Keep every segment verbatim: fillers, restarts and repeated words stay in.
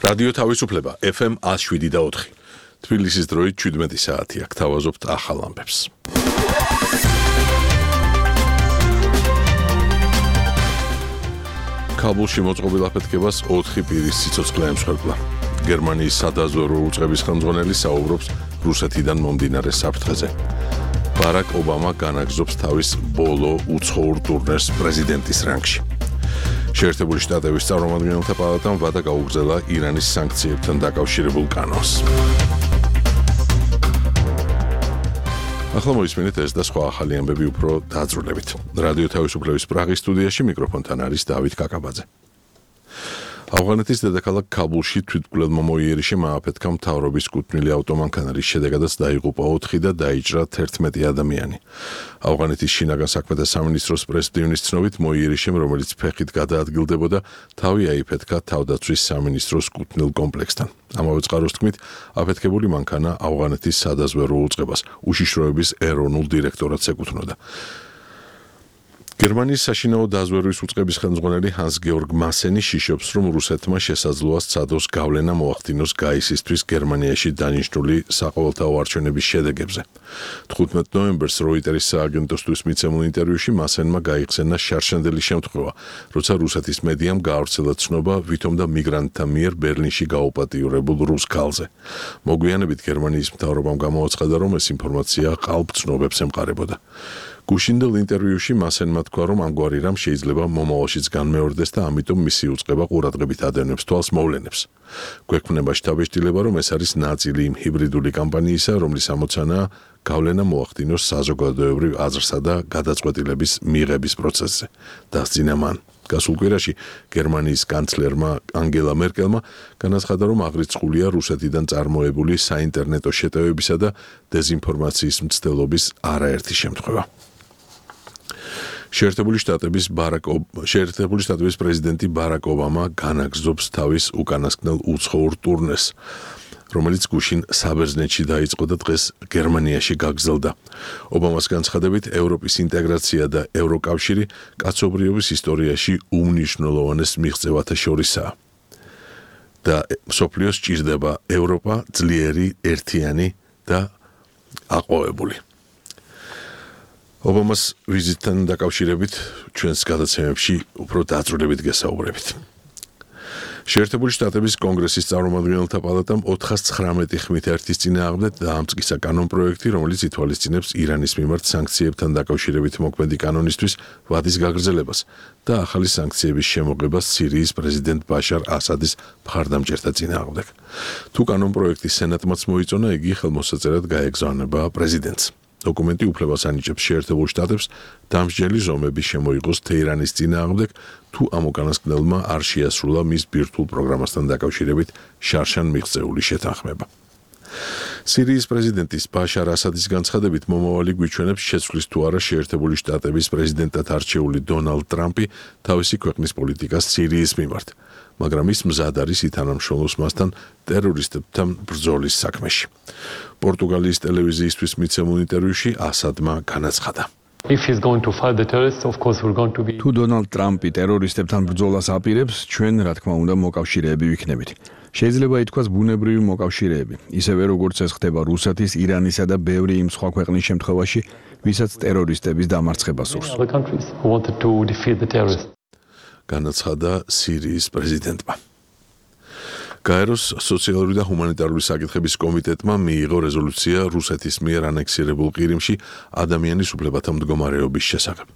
რადიო თავისუფლება ეფ ემ one oh seven და four. თბილისის დროით seventeen საათი აქ თავაზობთ ახალ ამბებს. ქაბულში მოწყობილ აფეთქებას ოთხი პირის სიცოცხლე ემსხვერპლა. გერმანიის სადაზვერვო უწყების ხელმძღვანელი საუბრობს რუსეთიდან მომდინარე საფრთხეზე. ბარაკ ობამა განაგზობს თავის ბოლო უცხოურ ტურნეს პრეზიდენტის რანგში. შეერთებული შტატების წარმომადგენელთა პალატამ ვადა გაუგრძელა ირანის სანქციებთან დაკავშირებულ კანონს. ახლა მოისმინეთ ეს და სხვა ახალი ამბები უფრო დაძრულებით. რადიო თავისუფლების პრაღის სტუდიაში მიკროფონთან არის დავით კაკაბაძე. ავღანეთის დედაქალაქ ქაბულში თვითმკვლელმა მოიერიშე მააფეთქა მთავრობის კუთვნილი ავტომანქანა, რის შედეგადაც დაიღუპა ოთხი და დაიჭრა თერთმეტი ადამიანი. ავღანეთის შინაგან საქმეთა სამინისტროს პრესდივნის ცნობით მოიერიშემ, რომელიც ფეხით გადაადგილდებოდა, თავი აიფეთქა თავდაცვის სამინისტროს კუთვნილ კომპლექსთან. ამავე წყაროს თქმით, აფეთქებული მანქანა ავღანეთის სადაზვერვო უწყებას, უშიშროების ეროვნულ დირექტორატს ეკუთვნოდა. გერმანიის საშინაო დაზვერვის უწყების ხელმძღვანელი ჰანს გეორგ მასენი შიშობს, რომ რუსეთმა შესაძლოა სცადოს გავლენა მოახდინოს გაისისთვის გერმანიაში დანიშნული საყოველთაო არჩევნების შედეგებზე. თხუთმეტ ნოემბერს როიტერის სააგენტოსთვის მიცემულ ინტერვიუში მასენმა გაიხსენა შარშანდელი შემთხვევა, როცა რუსეთის მედიამ გაავრცელა ცნობა ვითომ და მიგრანტთა მიერ ბერლინში გაუპატიურებულ რუს ქალზე. მოგვიანებით გერმანიის მთავრობამ გამოაცხადა, რომ ეს ინფორმაცია ყალბ ცნობებს ემყარებოდა. გუშინდელ ინტერვიუში მასენმა თქვა, რომ ამგვარი რამ შეიძლება მომავალშიც განმეორდეს და ამიტომ მისი უწყება ყურადღებით ადევნებს თვალს მოვლენებს. გვექვნება შთაბეჭდილება, რომ ეს არის ნაწილი იმ ჰიბრიდული კამპანიისა, რომლის ამოცანაა გავლენა მოახდინოს საზოგადოებრივ აზრსა და გადაწყვეტილების მიღების პროცესზე. დასძინა მან. გასულ კვირაში გერმანიის კანცლერმა ანგელა მერკელმა განაცხადა, რომ აღრიცხულია რუსეთიდან წარმოებული საინტერნეტო შეტევებისა და დეზინფორმაციის მცდელობის არაერთი შემთხვევა. შეერთებული შტატების ბარაკ შეერთებული შტატების პრეზიდენტი ბარაკ ობამა განაგზობს თავის უკანასკნელ უცხოურ ტურნეს, რომელიც გუშინ საბერძნეთში დაიწყო და დღეს გერმანიაში გაგრძელდა. ობამას განცხადებით, ევროპის ინტეგრაცია და ევროკავშირი კაცობრიობის ისტორიაში უმნიშვნელოვანეს მიღწევათა შორისაა. და მსოფლიოს სჭირდება ევროპა ძლიერი, ერთიანი და აყვავებული. ობამას ვიზიტთან დაკავშირებით ჩვენს გადაცემებში უფრო დაძრულებით გესაუბრებით. შეერთებული შტატების კონგრესის წარმომადგენელთა პალატამ ოთხას ცხრამეტი ხმით ერთის წინააღმდეგ დაამტკიცა კანონპროექტი, რომელიც ითვალისწინებს ირანის მიმართ სანქციებთან დაკავშირებით მოქმედი კანონისთვის ვადის გაგრძელებას და ახალი სანქციების შემოღებას სირიის პრეზიდენტ ბაშარ ასადის მხარდამჭერთა წინააღმდეგ. თუ კანონპროექტი სენატმაც მოიწონა, იგი ხელმოსაწერად გაეგზავნება პრეზიდენტს. დოკუმენტი უფლებას ანიჭებს შეერთებულ შტატებს დამსჯელი ზომების შემოიღოს თეირანის წინააღმდეგ, თუ ამ უკანასკნელმა არ შეასრულა მის ბირთვულ პროგრამასთან დაკავშირებით შარშან მიღწეული შეთანხმება. სირიის პრეზიდენტის ბაშარ ასადის განცხადებით, მომავალი გვიჩვენებს შეცვლის თუ არა შეერთებული შტატების პრეზიდენტად არჩეული დონალდ ტრამპი თავისი ქვეყნის პოლიტიკას სირიის მიმართ, მაგრამ ის მზად არის ითანამშრომლოს მასთან ტერორისტებთან ბრძოლის საქმეში. პორტუგალიის ტელევიზიისთვის მიცემულ ინტერვიუში ასადმა განაცხადა. თუ დონალდ ტრამპი ტერორისტებთან ბრძოლას აპირებს, ჩვენ რა თქმა უნდა მოკავშირეები ვიქნებით. შეიძლება ითქვას ბუნებრივი მოკავშირეები, ისევე როგორც ეს ხდება რუსეთის, ირანისა და ბევრი იმ სხვა ქვეყნის შემთხვევაში, ვისაც ტერორისტების დამარცხება სურს. განაცხადა სირიის პრეზიდენტმა. გაეროს სოციალური და ჰუმანიტარული საკითხების კომიტეტმა მიიღო რეზოლუცია რუსეთის მიერ ანექსირებულ ყირიმში ადამიანის უფლებათა მდგომარეობის შესახებ.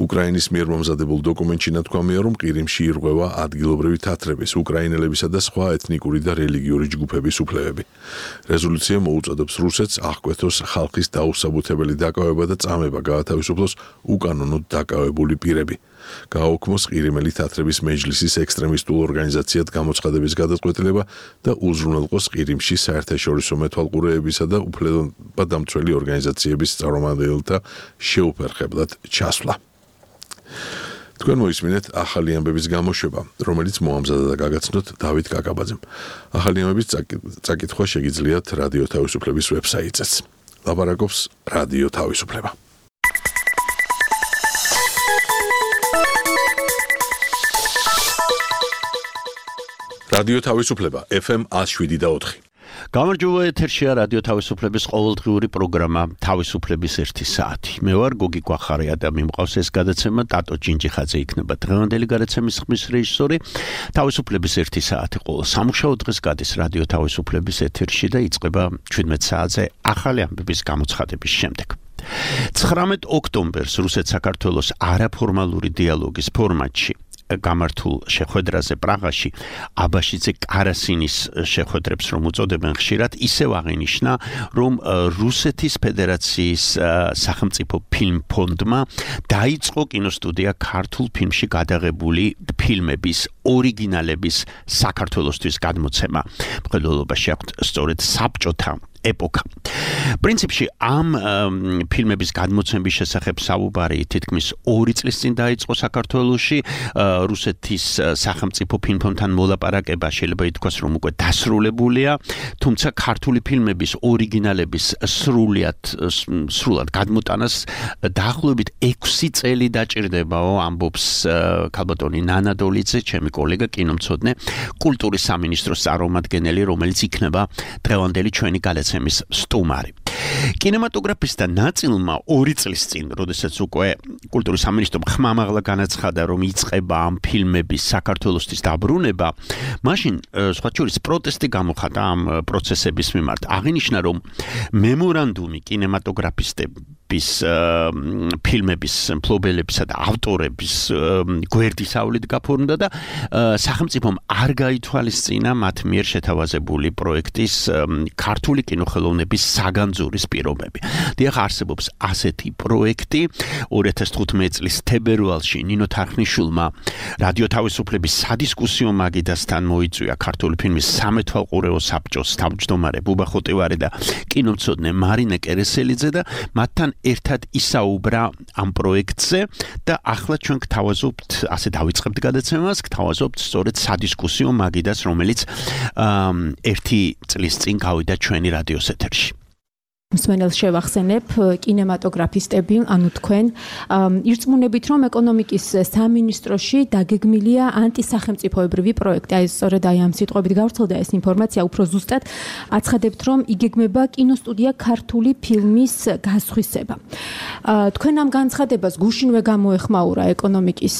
უკრაინის მიერ მომზადებულ დოკუმენტში ნათქვამია, რომ ყირიმში ირღვევა ადგილობრივი თათრების, უკრაინელებისა და სხვა ეთნიკური და რელიგიური ჯგუფების უფლებები. რეზოლუცია მოუწოდებს რუსეთს აღკვეთოს ხალხის დაუსაბუთებელი დაკავება და წამება გაათავისუფლოს უკანონოდ დაკავებული პირები. გააუქმოს ყირიმელი თათრების მეჯლისის ექსტრემისტულ ორგანიზაციად გამოცხადების გადაწყვეტილება და უზრუნველყოს ყირიმში საერთაშორისო მეთვალყურეებისა და უფლებადამცველი ორგანიზაციების წარმომადგენელთა შეუფერხებლად ჩასვლა. თქვენ მოისმინეთ ახალი ამბების გამოშვება, რომელიც მოამზადა და გაგაცნოთ დავით კაკაბაძემ. ახალი ამბების წაკითხვა შეგიძლიათ რადიო თავისუფლების ვებსაიტზეც. ლაპარაკობს რადიო თავისუფლება. რადიო თავისუფლება ეფ ემ one oh seven და four. გამარჯობა, ეთერშია რადიო თავისუფლების ყოველდღიური პროგრამა თავისუფლების ერთი საათი. მე ვარ გოგი კვახარია და მიმყავს ეს გადაცემა ტატო ჯინჯიხაძე იქნება დღევანდელი გადაცემის ხმის რეჟისორი. თავისუფლების ერთი საათი ყოველ სამუშაო დღეს გადის რადიო თავისუფლების ეთერში და იწყება seventeen საათზე ახალი ამბების გამოცხადების შემდეგ. ცხრამეტ ოქტომბერს რუსეთ-საქართველოს არაფორმალური დიალოგის ფორმატში გამართულ შეხვედრაზე პრაღაში აბაშიძე კარასინის შეხვედრებს რომ უწოდებენ ხშირად ისევ აღინიშნა რომ რუსეთის ფედერაციის სახელმწიფო ფილმ ფონდმა დაიწყო კინოსტუდია ქართულ ფილმში გადაღებული ფილმების ორიგინალების საქართველოსთვის გადმოცემა. მხედველობაში აქვთ სწორედ საბჭოთა ეპოქა. პრინციპში ამ ფილმების გადმოცემის შესახებ საუბარი თითქმის ორი წლის წინ დაიწყო საქართველოში. რუსეთის სახელმწიფო ფილმფონდთან მოლაპარაკება შეიძლება ითქვას რომ უკვე დასრულებულია, თუმცა ქართული ფილმების ორიგინალების სრულიად სრულად გადმოტანას დაახლოებით ექვსი წელი დაჭირდებაო, ამბობს ქალბატონი ნანა დოლიძე, ჩემი კოლეგა კინომცოდნე, კულტურის სამინისტროს წარმომადგენელი, რომელიც იქნება დღევანდელი ჩვენი გადაცემის სტუმარი. კინემატოგრაფისტთა ნაწილმა ორი წლის წინ, როდესაც უკვე კულტურის სამინისტრომ ხმამაღლა განაცხადა, რომ იწყება ამ ფილმების საქართველოსთვის დაბრუნება, მაშინ სხვა შორის პროტესტი გამოხატა ამ პროცესების მიმართ. აღინიშნა, რომ მემორანდუმი კინემატოგრაფისტების ფილმების მფლობელებისა და ავტორების გვერდისავლით გაფორმდა და სახელმწიფომ არ გაითვალისწინა მათ მიერ შეთავაზებული პროექტის ქართული კინოხელოვნების საგანძურის პირობები. დიახ, არსებობს ასეთი პროექტი. two thousand fifteen წლის თებერვალში ნინო თარხნიშვილმა რადიო თავისუფლების სადისკუსიო მაგიდასთან მოიწვია ქართული ფილმის სამეთვალყურეო საბჭოს თავმჯდომარე ბუბა ხოტივარი და კინომცოდნე მარინა კერესელიძე და მათთან ერთად ისაუბრა ამ პროექტზე და ახლა ჩვენ გთავაზობთ, ასე დავიწყებთ გადაცემას, გთავაზობთ სწორედ სადისკუსიო მაგიდას, რომელიც ერთი წლის წინ გავიდა ჩვენი რადიოს ეთერში. მსმენელს შევახსენებ, კინემატოგრაფისტები, ანუ თქვენ, ირწმუნებით, რომ ეკონომიკის სამინისტროში დაგეგმილია ანტისახელმწიფოებრივი პროექტი. აი, სწორედ აი ამ სიტყვებით გავრცელდა ეს ინფორმაცია, უფრო ზუსტად აცხადებთ, რომ იგეგმება კინოსტუდია ქართული ფილმის გასხვისება. თქვენ ამ განცხადებას გუშინვე გამოეხმაურა ეკონომიკის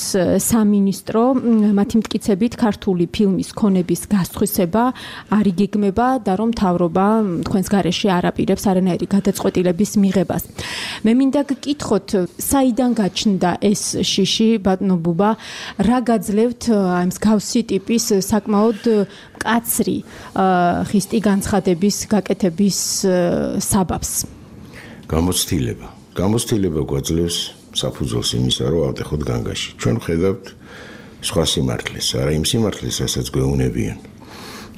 სამინისტრო, მათი მტკიცებით ქართული ფილმის ქონების გასხვისება არ იგეგმება და რომ მთავრობა თქვენს გარეშე არ აპირებს არანაირი გადაწყვეტილების მიღებას. მე მინდა გკითხოთ, საიდან გაჩნდა ეს შიში, ბატონო ბუბა, რა გაძლევთ აი მსგავსი ტიპის საკმაოდ მკაცრი ხისტი განცხადების გაკეთების საბაბს? გამოცდილება. გამოცდილება გვაძლევს საფუძველს იმისა, რომ ავტეხოთ განგაში. ჩვენ ვხედავთ სხვა სიმართლეს, არა იმ სიმართლეს, რასაც გვეუნებიან,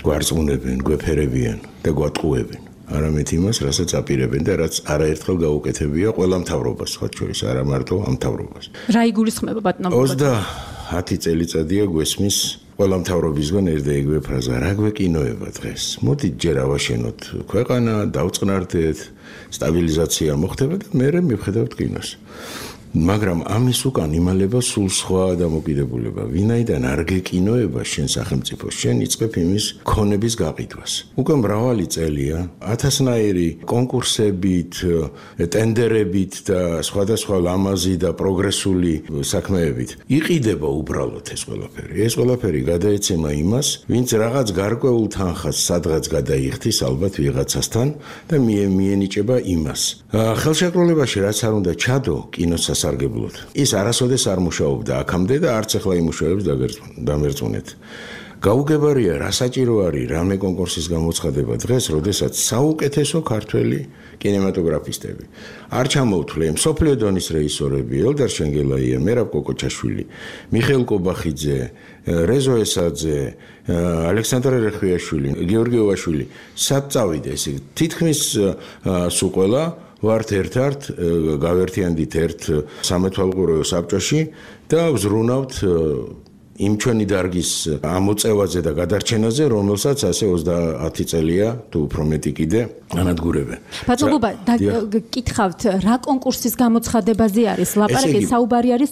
გვარწმუნებენ, გვეფერებიან და გვატყუებენ. არამედ იმას, რასაც აპირებენ და რაც არაერთხელ გაუკეთებია ყველა მთავრობას, სხვა შორის არა მარტო ამ მთავრობას. რა იგულისხმება ბატონო? ოცდაათი წელიწადია გვესმის ყველა მთავრობისგან ერთ და იგივე ფრაზა, რა გვეკინოება დღეს? მოდით ჯერ ავაშენოთ ქვეყანა, დავწყნარდეთ, სტაბილიზაცია მოხდება და მერე მივხედავთ კინოს. მაგრამ ამის უკან იმალება სულ სხვა დამოკიდებულება. ვინაიდან არ გეკინოება შენ სახელმწიფო, შენ იწყებ იმის ქონების გაყიდვას. უკვე მრავალი წელია ათასნაირი კონკურსებით, ტენდერებით და სხვადასხვა ლამაზი და პროგრესული საქმეებით იყიდება უბრალოდ ეს ყველაფერი. ეს ყველაფერი გადაეცემა იმას, ვინც რაღაც გარკვეულ თანხას სადღაც გადაიხდის ალბათ ვიღაცასთან და მიენიჭება იმას. ხელშეკრულებაში რაც არ უნდა ჩადო კინოს სასარგებლოდ. ის არასოდეს არ მუშაობდა აქამდე და არც ახლა იმუშავებს დამერწმუნეთ. გაუგებარია, რა საჭირო არის რამე კონკურსის გამოცხადება დღეს, როდესაც საუკეთესო ქართველი კინემატოგრაფისტები არ ჩამოუთვლე მსოფლიო დონის რეჟისორები, ელდარ შენგელაია, მერაბ კოკოჩაშვილი, მიხეილ კობახიძე, რეზო ესაძე, ალექსანდრე რეხვიაშვილი, გიორგი ოვაშვილი, სად წავიდა ესე თითქმის სულ ყველა ვართ ერთ-ერთ გავერთიანდით ერთ სამეთვალყურეო საბჭოში და ვზრუნავთ იმ ჩვენი დარგის ამოწევაზე და გადარჩენაზე, რომელსაც ასე ოცდაათი წელია თუ უფრო მეტი კიდე ანადგურებენ. ბატონობა, გკითხავთ, რა კონკურსის გამოცხადებაზე არის ლაპარაკი? საუბარი არის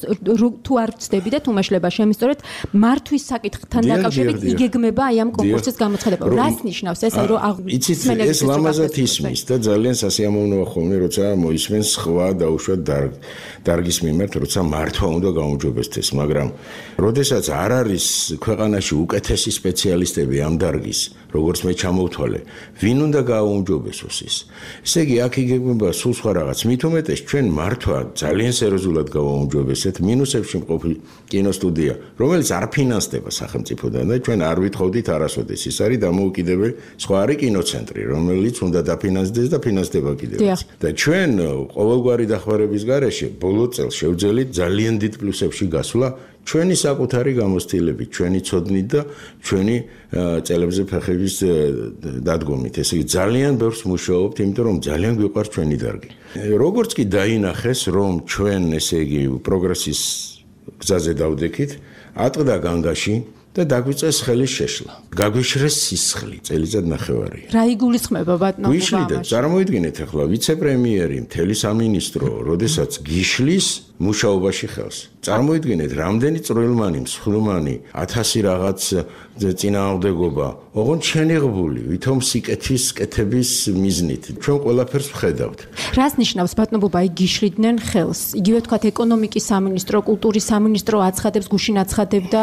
თუ არ ვწდები და თუ მეშლება შემისწორეთ, მართვის საკითხთან დაკავშირებით იგეგმება აი ამ კონკურსის გამოცხადება. რას ნიშნავს ეს, რომ იცით, ეს ლამაზად ისმის და ძალიან სასიამოვნოა ხოლმე, როცა მოისმენს სხვა დაუშვათ დარგის მიმართ, როცა მართვა უნდა გაუმჯობესდეს, მაგრამ როდესაც არ არის ქვეყანაში უკეთესი სპეციალისტები ამ დარგის, როგორც მე ჩამოვთვალე, ვინ უნდა გააუმჯობესოს ის? ესე იგი, აქ იგეგმება სულ სხვა რაღაც. მით უმეტეს ჩვენ მართვა ძალიან სერიოზულად გავაუმჯობესეთ მინუსებში მყოფი კინოსტუდია, რომელიც არ ფინანსდება სახელმწიფოდან და ჩვენ არ ვითხოვდით არასოდეს. ის არის დამოუკიდებელი სხვა არის კინოცენტრი, რომელიც უნდა დაფინანსდეს და ფინანსდება კიდევაც. და ჩვენ ყოველგვარი დახმარების გარეშე ბოლო წელს შევძელით ძალიან დიდ პლუსებში გასვლა ჩვენი საკუთარი გამოცდილებით, ჩვენი ცოდნით და ჩვენი წელებზე ფეხების დადგომით. ესე იგი ძალიან ბევრს მუშაობთ, იმიტომ რომ ძალიან გვიყვარს ჩვენი დარგი. როგორც კი დაინახეს, რომ ჩვენ ესე იგი პროგრესის გზაზე დავდექით, ატყდა განგაში და დაგვიწეს ხელის შეშლა. გაგვიშრეს სისხლი, წელიწად ნახევარი. რა იგულისხმება ბატონო? გვიშლიდა, წარმოიდგინეთ ახლა ვიცე-პრემიერი, მთელი სამინისტრო, როდესაც გიშლის მუშაობაში ხელს. წარმოიდგინეთ, რამდენი წვრილმანი, მსხლმანი, ათასი რაღაც წინააღმდეგობა, ოღონდ შენიღბული, ვითომ სიკეთის კეთების მიზნით. ჩვენ ყველაფერს ვხედავთ. რას ნიშნავს ბატონობა, აი გიშლიდნენ ხელს? იგივე თქვათ ეკონომიკის სამინისტრო, კულტურის სამინისტრო აცხადებს, გუშინ აცხადებდა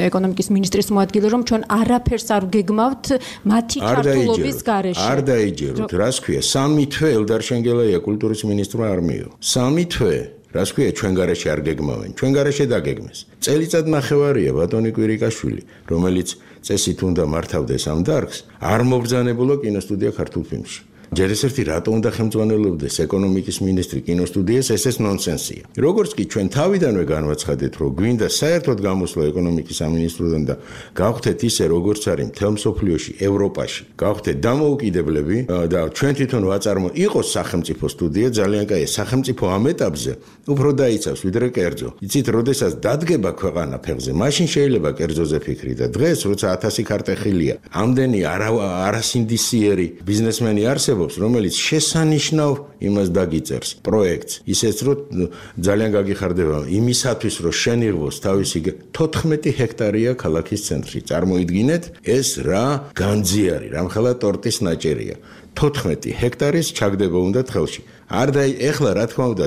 ეკონომიკის მინისტრის მოადგილე, რომ ჩვენ არაფერს არ გეგმავთ მათი ჩართულობის გარეშე. არ დაიჯეროთ, რას ქვია? სამი თვე ელდარ შენგელაია კულტურის მინისტრმა არ მიიღო. სამი თვე რას ქვია ჩვენ გარეშე არ გეგმავენ, ჩვენ გარეშე დაგეგმეს. წელიწად ნახევარია ბატონი კვირიკაშვილი, რომელიც წესით უნდა მართავდეს ამ დარგს, არ მობრძანებულა კინოსტუდია ქართულ ფილმში. ჯერ ეს ერთი რატო უნდა ხელმძღვანელობდეს ეკონომიკის მინისტრი კინოსტუდიას, ეს ეს ნონსენსია. როგორც კი ჩვენ თავიდანვე განვაცხადეთ, რომ გვინდა საერთოდ გამოსვლა ეკონომიკის სამინისტროდან და გავხდეთ ისე, როგორც არის მთელ მსოფლიოში, ევროპაში, გავხდეთ დამოუკიდებლები და ჩვენ თვითონ ვაწარმო იყოს სახელმწიფო სტუდია, ძალიან კაია, სახელმწიფო ამ ეტაპზე უფრო დაიცავს ვიდრე კერძო. იცით, როდესაც დადგება ქვეყანა ფეხზე, მაშინ შეიძლება კერძოზე ფიქრი და დღეს, როცა ათასი ქარტეხილია, ამდენი არასინდისიერი ბიზნესმენი არსებობს, რომელიც შესანიშნავ იმას დაგიწერს პროექტს, ისეც რომ ძალიან გაგიხარდება იმისათვის, რომ შენიღოს თავისი თოთხმეტი ჰექტარია ქალაქის ცენტრში. წარმოიდგინეთ, ეს რა განძი არის, რამხელა ტორტის ნაჭერია. თოთხმეტი ჰექტარის ჩაგდება უნდა ხელში. არ და ეხლა რა თქმა უნდა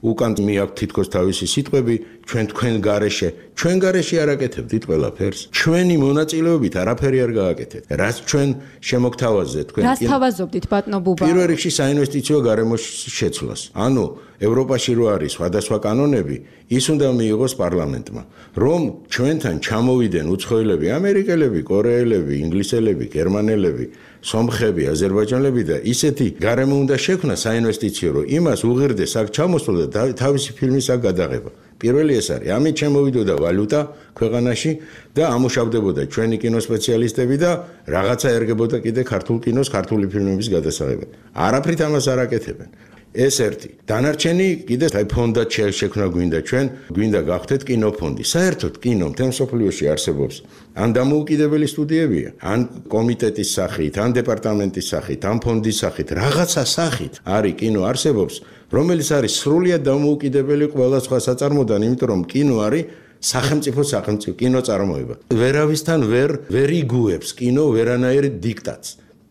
უკან მიაქვთ თითქოს თავისი სიტყვები, ჩვენ თქვენ გარეშე, ჩვენ გარეშე არ აკეთებდით ყველაფერს. ჩვენი მონაწილეობით არაფერი არ გააკეთეთ. რაც ჩვენ შემოგთავაზეთ თქვენ. რას თავაზობდით ბატონო ბუბა? პირველ რიგში საინვესტიციო გარემოს შეცვლას. ანუ ევროპაში რო არის სხვადასხვა კანონები, ის უნდა მიიღოს პარლამენტმა. რომ ჩვენთან ჩამოვიდნენ უცხოელები, ამერიკელები, კორეელები, ინგლისელები, გერმანელები, სომხები, აზერბაიჯანელები და ისეთი გარემო უნდა შექმნა საინვესტიციო, რომ იმას უღირდეს აქ ჩამოსვლა და თავისი ფილმის აქ გადაღება. პირველი ეს არის. ამით შემოვიდოდა ვალუტა ქვეყანაში და ამუშავდებოდა ჩვენი კინოსპეციალისტები და რაღაცა ერგებოდა კიდე ქართულ კინოს, ქართული ფილმების გადასაღებად. არაფრით ამას არ აკეთებენ. ეს ერთი. დანარჩენი კიდე აი ფონდად შექმნა გვინდა ჩვენ, გვინდა გავხდეთ კინოფონდი. საერთოდ კინო მთელ მსოფლიოში არსებობს. ან დამოუკიდებელი სტუდიებია, ან კომიტეტის სახით, ან დეპარტამენტის სახით, ან ფონდის სახით, რაღაცა სახით არის კინო არსებობს, რომელიც არის სრულიად დამოუკიდებელი ყველა სხვა საწარმოდან, იმიტომ რომ კინო არის სახელმწიფო სახელმწიფო კინოწარმოება. ვერავისთან ვერ ვერ იგუებს კინო ვერანაირ დიქტატს.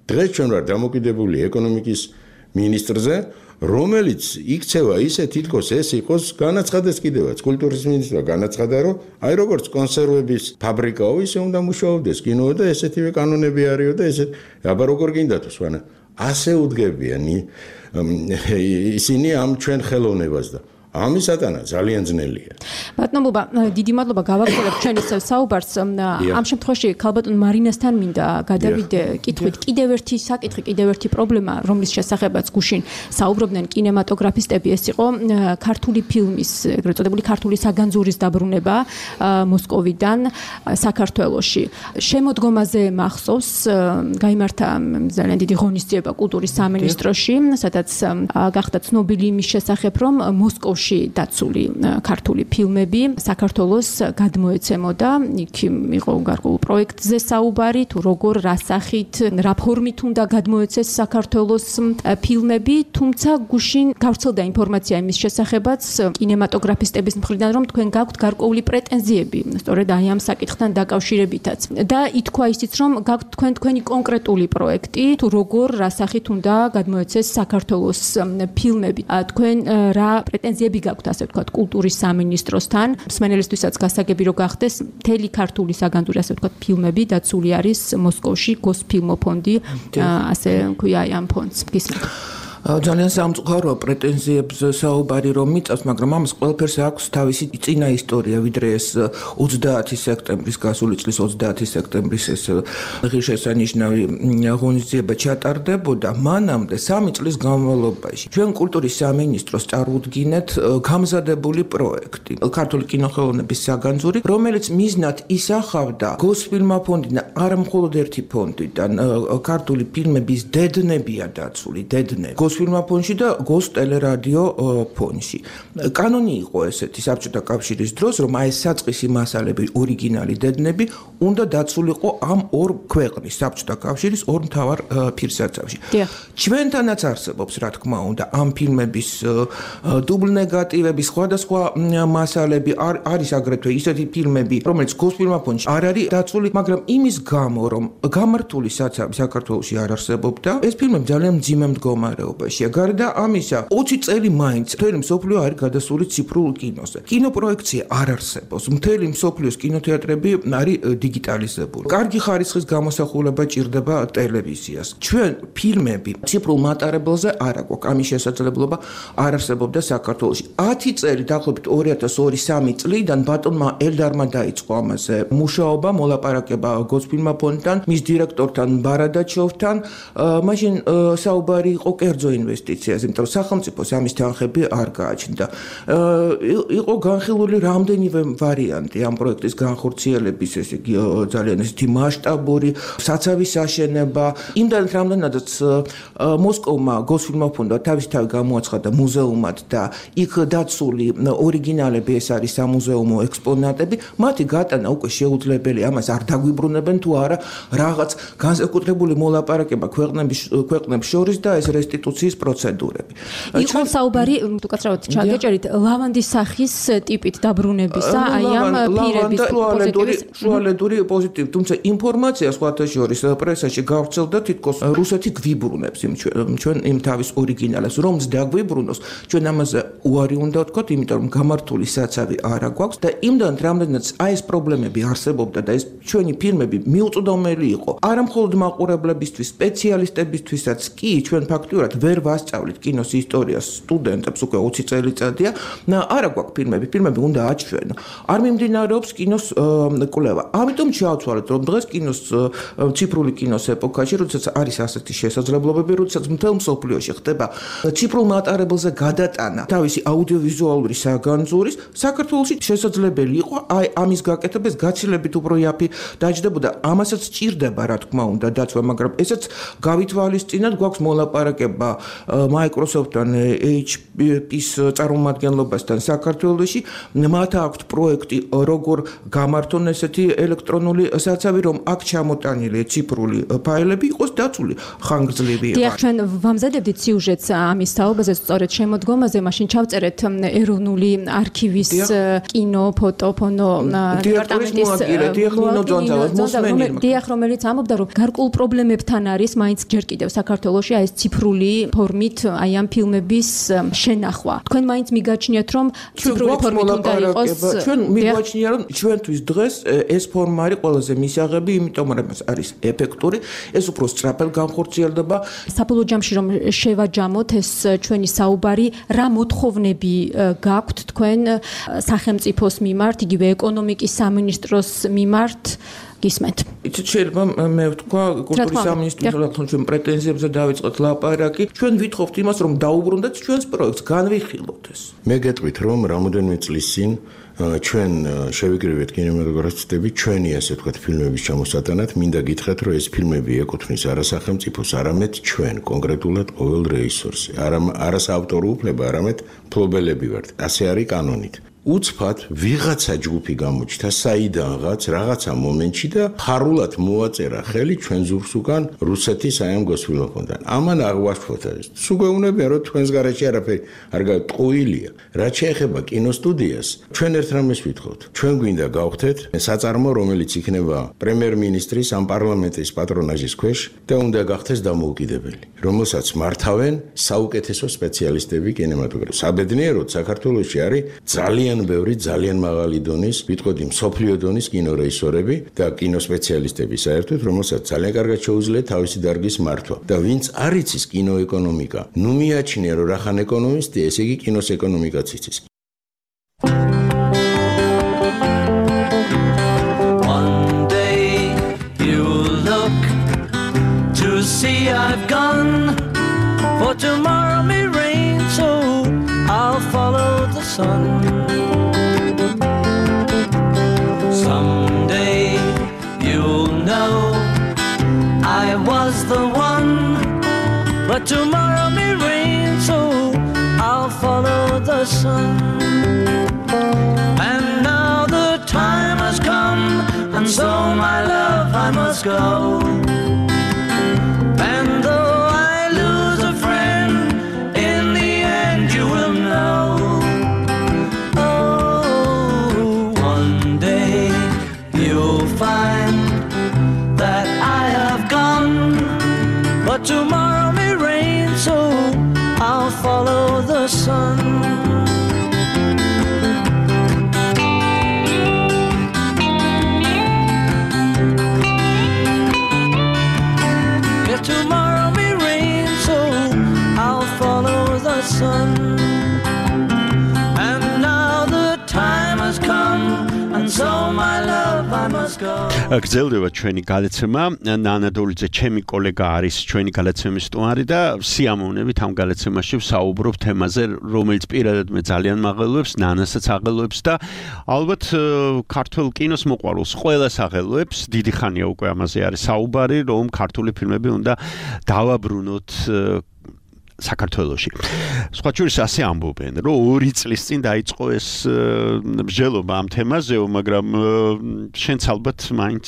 დღეს ჩვენ ვარ დამოკიდებული ეკონომიკის მინისტრზე, რომელიც იქცევა ისე თითქოს ეს იყოს განაცხადეს კიდევაც კულტურის მინისტრმა განაცხადა, რომ აი როგორც კონსერვების ფაბრიკაო, ისე უნდა მუშაობდეს კინო და ესეთივე კანონები არისო და ესეთ აბა როგორ გინდა თუ სვანა ასე უდგებიან ისინი ამ ჩვენ ხელოვნებას და ამისათანა ძალიან ძნელია. ბატონო ბუბა, დიდი მადლობა გავაგრძელებთ ჩვენ ისევ საუბარს. ამ შემთხვევაში ქალბატონ მარინასთან მინდა გადავიდე კითხვით. კიდევ ერთი საკითხი, კიდევ ერთი პრობლემა, რომლის შესახებაც გუშინ საუბრობდნენ კინემატოგრაფისტები, ეს იყო ქართული ფილმის, ეგრეთ წოდებული ქართული საგანძურის დაბრუნება მოსკოვიდან საქართველოში. შემოდგომაზე მახსოვს, გაიმართა ძალიან დიდი ღონისძიება კულტურის სამინისტროში, სადაც გახდა ცნობილი იმის შესახებ, რომ მოსკოვში საქართველოში დაცული ქართული ფილმები საქართველოს გადმოეცემოდა. იქ იყო გარკვეულ პროექტზე საუბარი, თუ როგორ, რა სახით, რა ფორმით უნდა გადმოეცეს საქართველოს ფილმები, თუმცა გუშინ გავრცელდა ინფორმაცია იმის შესახებაც კინემატოგრაფისტების მხრიდან, რომ თქვენ გაქვთ გარკვეული პრეტენზიები, სწორედ აი ამ საკითხთან დაკავშირებითაც. და ითქვა ისიც, რომ გაქვთ თქვენ თქვენი კონკრეტული პროექტი, თუ როგორ, რა სახით უნდა გადმოეცეს საქართველოს ფილმები. თქვენ რა პრეტენზიები გაქვთ, ასე ვთქვათ, კულტურის სამინისტროსთან, მსმენელისთვისაც გასაგები რო გახდეს, მთელი ქართული საგანძური, ასე ვთქვათ, ფილმები დაცული არის მოსკოვში, გოსფილმოფონდი, ასე ქვია ამ ფონდს. გისმენთ. ძალიან სამწუხაროა პრეტენზიებზე საუბარი რომ მიწევს, მაგრამ ამას ყველაფერს აქვს თავისი წინა ისტორია, ვიდრე ეს ოცდაათი სექტემბრის გასული წლის ოცდაათი სექტემბრის ეს ღირსშესანიშნავი ღონისძიება ჩატარდებოდა. მანამდე სამი წლის განმავლობაში ჩვენ კულტურის სამინისტროს წარუდგინეთ გამზადებული პროექტი, ქართული კინოხელოვნების საგანძური, რომელიც მიზნად ისახავდა გოსფილმოფონდიდან, არა მხოლოდ ერთი ფონდიდან, ქართული ფილმების დედნებია დაცული, დედნები გოსფილმოფონდში და გოს ტელერადიო ფონდში. კანონი იყო ესეთი საბჭოთა კავშირის დროს, რომ აი ეს საწყისი მასალები, ორიგინალი დედნები უნდა დაცულიყო ამ ორ ქვეყნის საბჭოთა კავშირის ორ მთავარ ფირსაცავში. ჩვენთანაც არსებობს, რა თქმა უნდა, ამ ფილმების დუბლ ნეგატივები, სხვადასხვა მასალები, არის აგრეთვე ისეთი ფილმები, რომელიც გოსფილმოფონდში არ არის დაცული, მაგრამ იმის გამო, რომ გამართული საცავი საქართველოში არ არსებობდა, ეს ფილმები ძალიან მძიმე მდგომარეობაშია. გარდა ამისა, ოცი წელი მაინც მთელი მსოფლიო არის გადასული ციფრულ კინოზე. კინოპროექცია არ არსებობს. მთელი მსოფლიოს კინოთეატრები არის დიგიტალიზებული. კარგი ხარისხის გამოსახულება ჭირდება ტელევიზიას. ჩვენ ფილმები ციფრულ მატარებელზე არ აქვს. ამის შესაძლებლობა არ არსებობდა საქართველოში. ათი წელი დაახლოებით ორი ათას ორი სამი წლიდან ბატონმა ელდარმა დაიწყო ამაზე მუშაობა, მოლაპარაკება გოსფილმოფონდთან, მის დირექტორთან ბარადაჩოვთან. მაშინ საუბარი იყო კერძო ინვესტიციაზე, იმიტომ რომ სახელმწიფოს ამის თანხები არ გააჩნდა. იყო განხილული რამდენიმე ვარიანტი ამ პროექტის განხორციელების, ესე იგი ძალიან ისეთი მასშტაბური საცავის აშენება. იმდანაც რამდენადაც მოსკოვმა გოსფილმოფონდმა თავისთავად გამოაცხადა მუზეუმად და იქ დაცული ორიგინალები, ეს არის სამუზეუმო ექსპონატები, მათი გატანა უკვე შეუძლებელი, ამას არ დაგვიბრუნებენ თუ არა რაღაც განსაკუთრებული მოლაპარაკება ქვეყნების ქვეყნებს შორის და ეს რესტიტუციის პროცედურები. იყო საუბარი, თუ კაცრავად ჩაგეჭერით, ლავანდის სახის ტიპით დაბრუნებისა, აი ამ პირების პოზიტივის შუალედური პოზიტივი, თუმცა ინფორმაცია სხვათა შორის პრესაში გავრცელდა, თითქოს რუსეთი გვიბრუნებს იმ ჩვენ იმ თავის ორიგინალებს, რომც დაგვიბრუნოს, ჩვენ ამაზე უარი უნდა ვთქვათ, იმიტომ რომ გამართული საცავი არა გვაქვს და იმდან რამდენიც აი ეს პრობლემები არსებობდა და ეს ჩვენი ფილმები მიუწვდომელი იყო, არა მხოლოდ მაყურებლებისთვის, სპეციალისტებისთვისაც კი, ჩვენ ფაქტურად ვერ ვასწავლით კინოს ისტორიას სტუდენტებს უკვე ოცი წელიწადია. არა გვაქვს ფილმები, ფილმები უნდა აჩვენო. არ მიმდინარეობს კინოს კვლევა. ამიტომ ჩავცვალეთ, რომ დღეს კინოს ციფრული კინოს ეპოქაში, როდესაც არის ასეთი შესაძლებლობები, როდესაც მთელ მსოფლიოში ხდება ციფრულ მატარებელზე გადატანა თავისი აუდიოვიზუალური საგანძურის, საქართველოში შესაძლებელი იყო აი ამის გაკეთებას გაცილებით უფრო იაფი დაჯდებოდა. ამასაც სჭირდება, რა თქმა უნდა, დაცვა, მაგრამ ესაც გავითვალისწინოთ, გვაქვს მოლაპარაკება Microsoft-თან, ეიჩ პი-ის წარმომადგენლობასთან საქართველოში. მათ აქვთ პროექტი, როგორ გამართონ ესეთი ელექტრონული საცავი, რომ აქ ჩამოტანილი ციფრული ფაილები იყოს დაცული ხანგრძლივი. დიახ, ჩვენ ვამზადებდით სიუჟეტს ამის თაობაზე, სწორედ შემოდგომაზე, მაშინ ჩავწერეთ ეროვნული არქივის კინო, ფოტო, ფონო დეპარტამენტის დიახ, რომელიც ამბობდა, რომ გარკვეულ პრობლემებთან არის მაინც ჯერ კიდევ საქართველოში აი ეს ციფრული ფორმით აი ამ ფილმების შენახვა. თქვენ მაინც მიგაჩნიათ, რომ ციფრული ფორმით უნდა იყოს. ჩვენ მიგვაჩნია, რომ ჩვენთვის დღეს ეს ფორმა არის ყველაზე მისაღები, იმიტომ რომ ეს არის ეფექტური, ეს უფრო სწრაფად განხორციელდება. საბოლოო ჯამში რომ შევაჯამოთ ეს ჩვენი საუბარი, რა მოთხოვნები გაქვთ თქვენ სახელმწიფოს მიმართ, იგივე ეკონომიკის სამინისტროს მიმართ, გისმენთ. იცით შეიძლება მე ვთქვა კულტურის სამინისტროს თქო ჩვენ პრეტენზიებზე დავიწყოთ ლაპარაკი. ჩვენ ვითხოვთ იმას რომ დაუბრუნდეთ ჩვენს პროექტს, განვიხილოთ ეს. მე გეტყვით რომ რამოდენიმე წლის წინ ჩვენ შევიკრიბეთ კინემატოგრაფისტები ჩვენი ასე ვთქვათ ფილმების ჩამოსატანად, მინდა გითხრათ რომ ეს ფილმები ეკუთვნის არა სახელმწიფოს, არამედ ჩვენ კონკრეტულად ყოველ რეჟისორს. არა არა საავტორო უფლება, არამედ მფლობელები ვართ. ასე არის კანონით. უცბად ვიღაცა ჯგუფი გამოჩნდა საიდანღაც რაღაცა მომენტში და ხარულად მოაწერა ხელი ჩვენ ზურგს უკან რუსეთის აი ამ გოსვილოფონთან. ამან აღვაშფოთა ეს. სულ გვეუბნებიან რომ თქვენს გარეშე არაფერი არ გაწყუილია. რაც შეეხება კინოსტუდიას, ჩვენ ერთ რამეს ვითხოვთ. ჩვენ გვინდა გავხდეთ საწარმო, რომელიც იქნება პრემიერ-მინისტრის ან პარლამენტის პატრონაჟის ქვეშ და უნდა გახდეს დამოუკიდებელი, რომელსაც მართავენ საუკეთესო სპეციალისტები კინემატოგრაფში. საბედნიეროდ საქართველოში არის ძალიან ბევრი ძალიან მაღალი დონის, ვიტყოდი მსოფლიო დონის კინორეჟისორები და კინოსპეციალისტები საერთოდ, რომელსაც ძალიან კარგად შეუძლია თავისი დარგის მართვა. და ვინც არ იცის კინოეკონომიკა, ნუ მიაჩნია რომ რახან ეკონომისტი, ესე იგი კინოს ეკონომიკაც იცის. One day you look to see I've gone, for tomorrow may rain, so I'll follow the sun. Someday you'll know I was the one, but tomorrow may rain, so I'll follow the sun. And now the time has come, and so my love I must go. And though I lose a friend, in the end you will know. Find that I have gone, but tomorrow may rain, so I'll follow the sun. Yeah, tomorrow may rain, so I'll follow the sun. And now the time has come, and so my love I must go. გრძელდება ჩვენი გადაცემა. ნანა დოლიძე ჩემი კოლეგა არის ჩვენი გადაცემის სტუმარი და სიამოვნებით ამ გადაცემაში ვსაუბრობ თემაზე, რომელიც პირადად მე ძალიან მაღელვებს, ნანასაც აღელვებს და ალბათ ქართულ კინოს მოყვარულს ყველას აღელვებს. დიდი ხანია უკვე ამაზე არის საუბარი, რომ ქართული ფილმები უნდა დავაბრუნოთ საქართველოში. სხვა შორის ასე ამბობენ, რომ ორი წლის წინ დაიწყო ეს მსჯელობა ამ თემაზეო, მაგრამ შენც ალბათ მაინც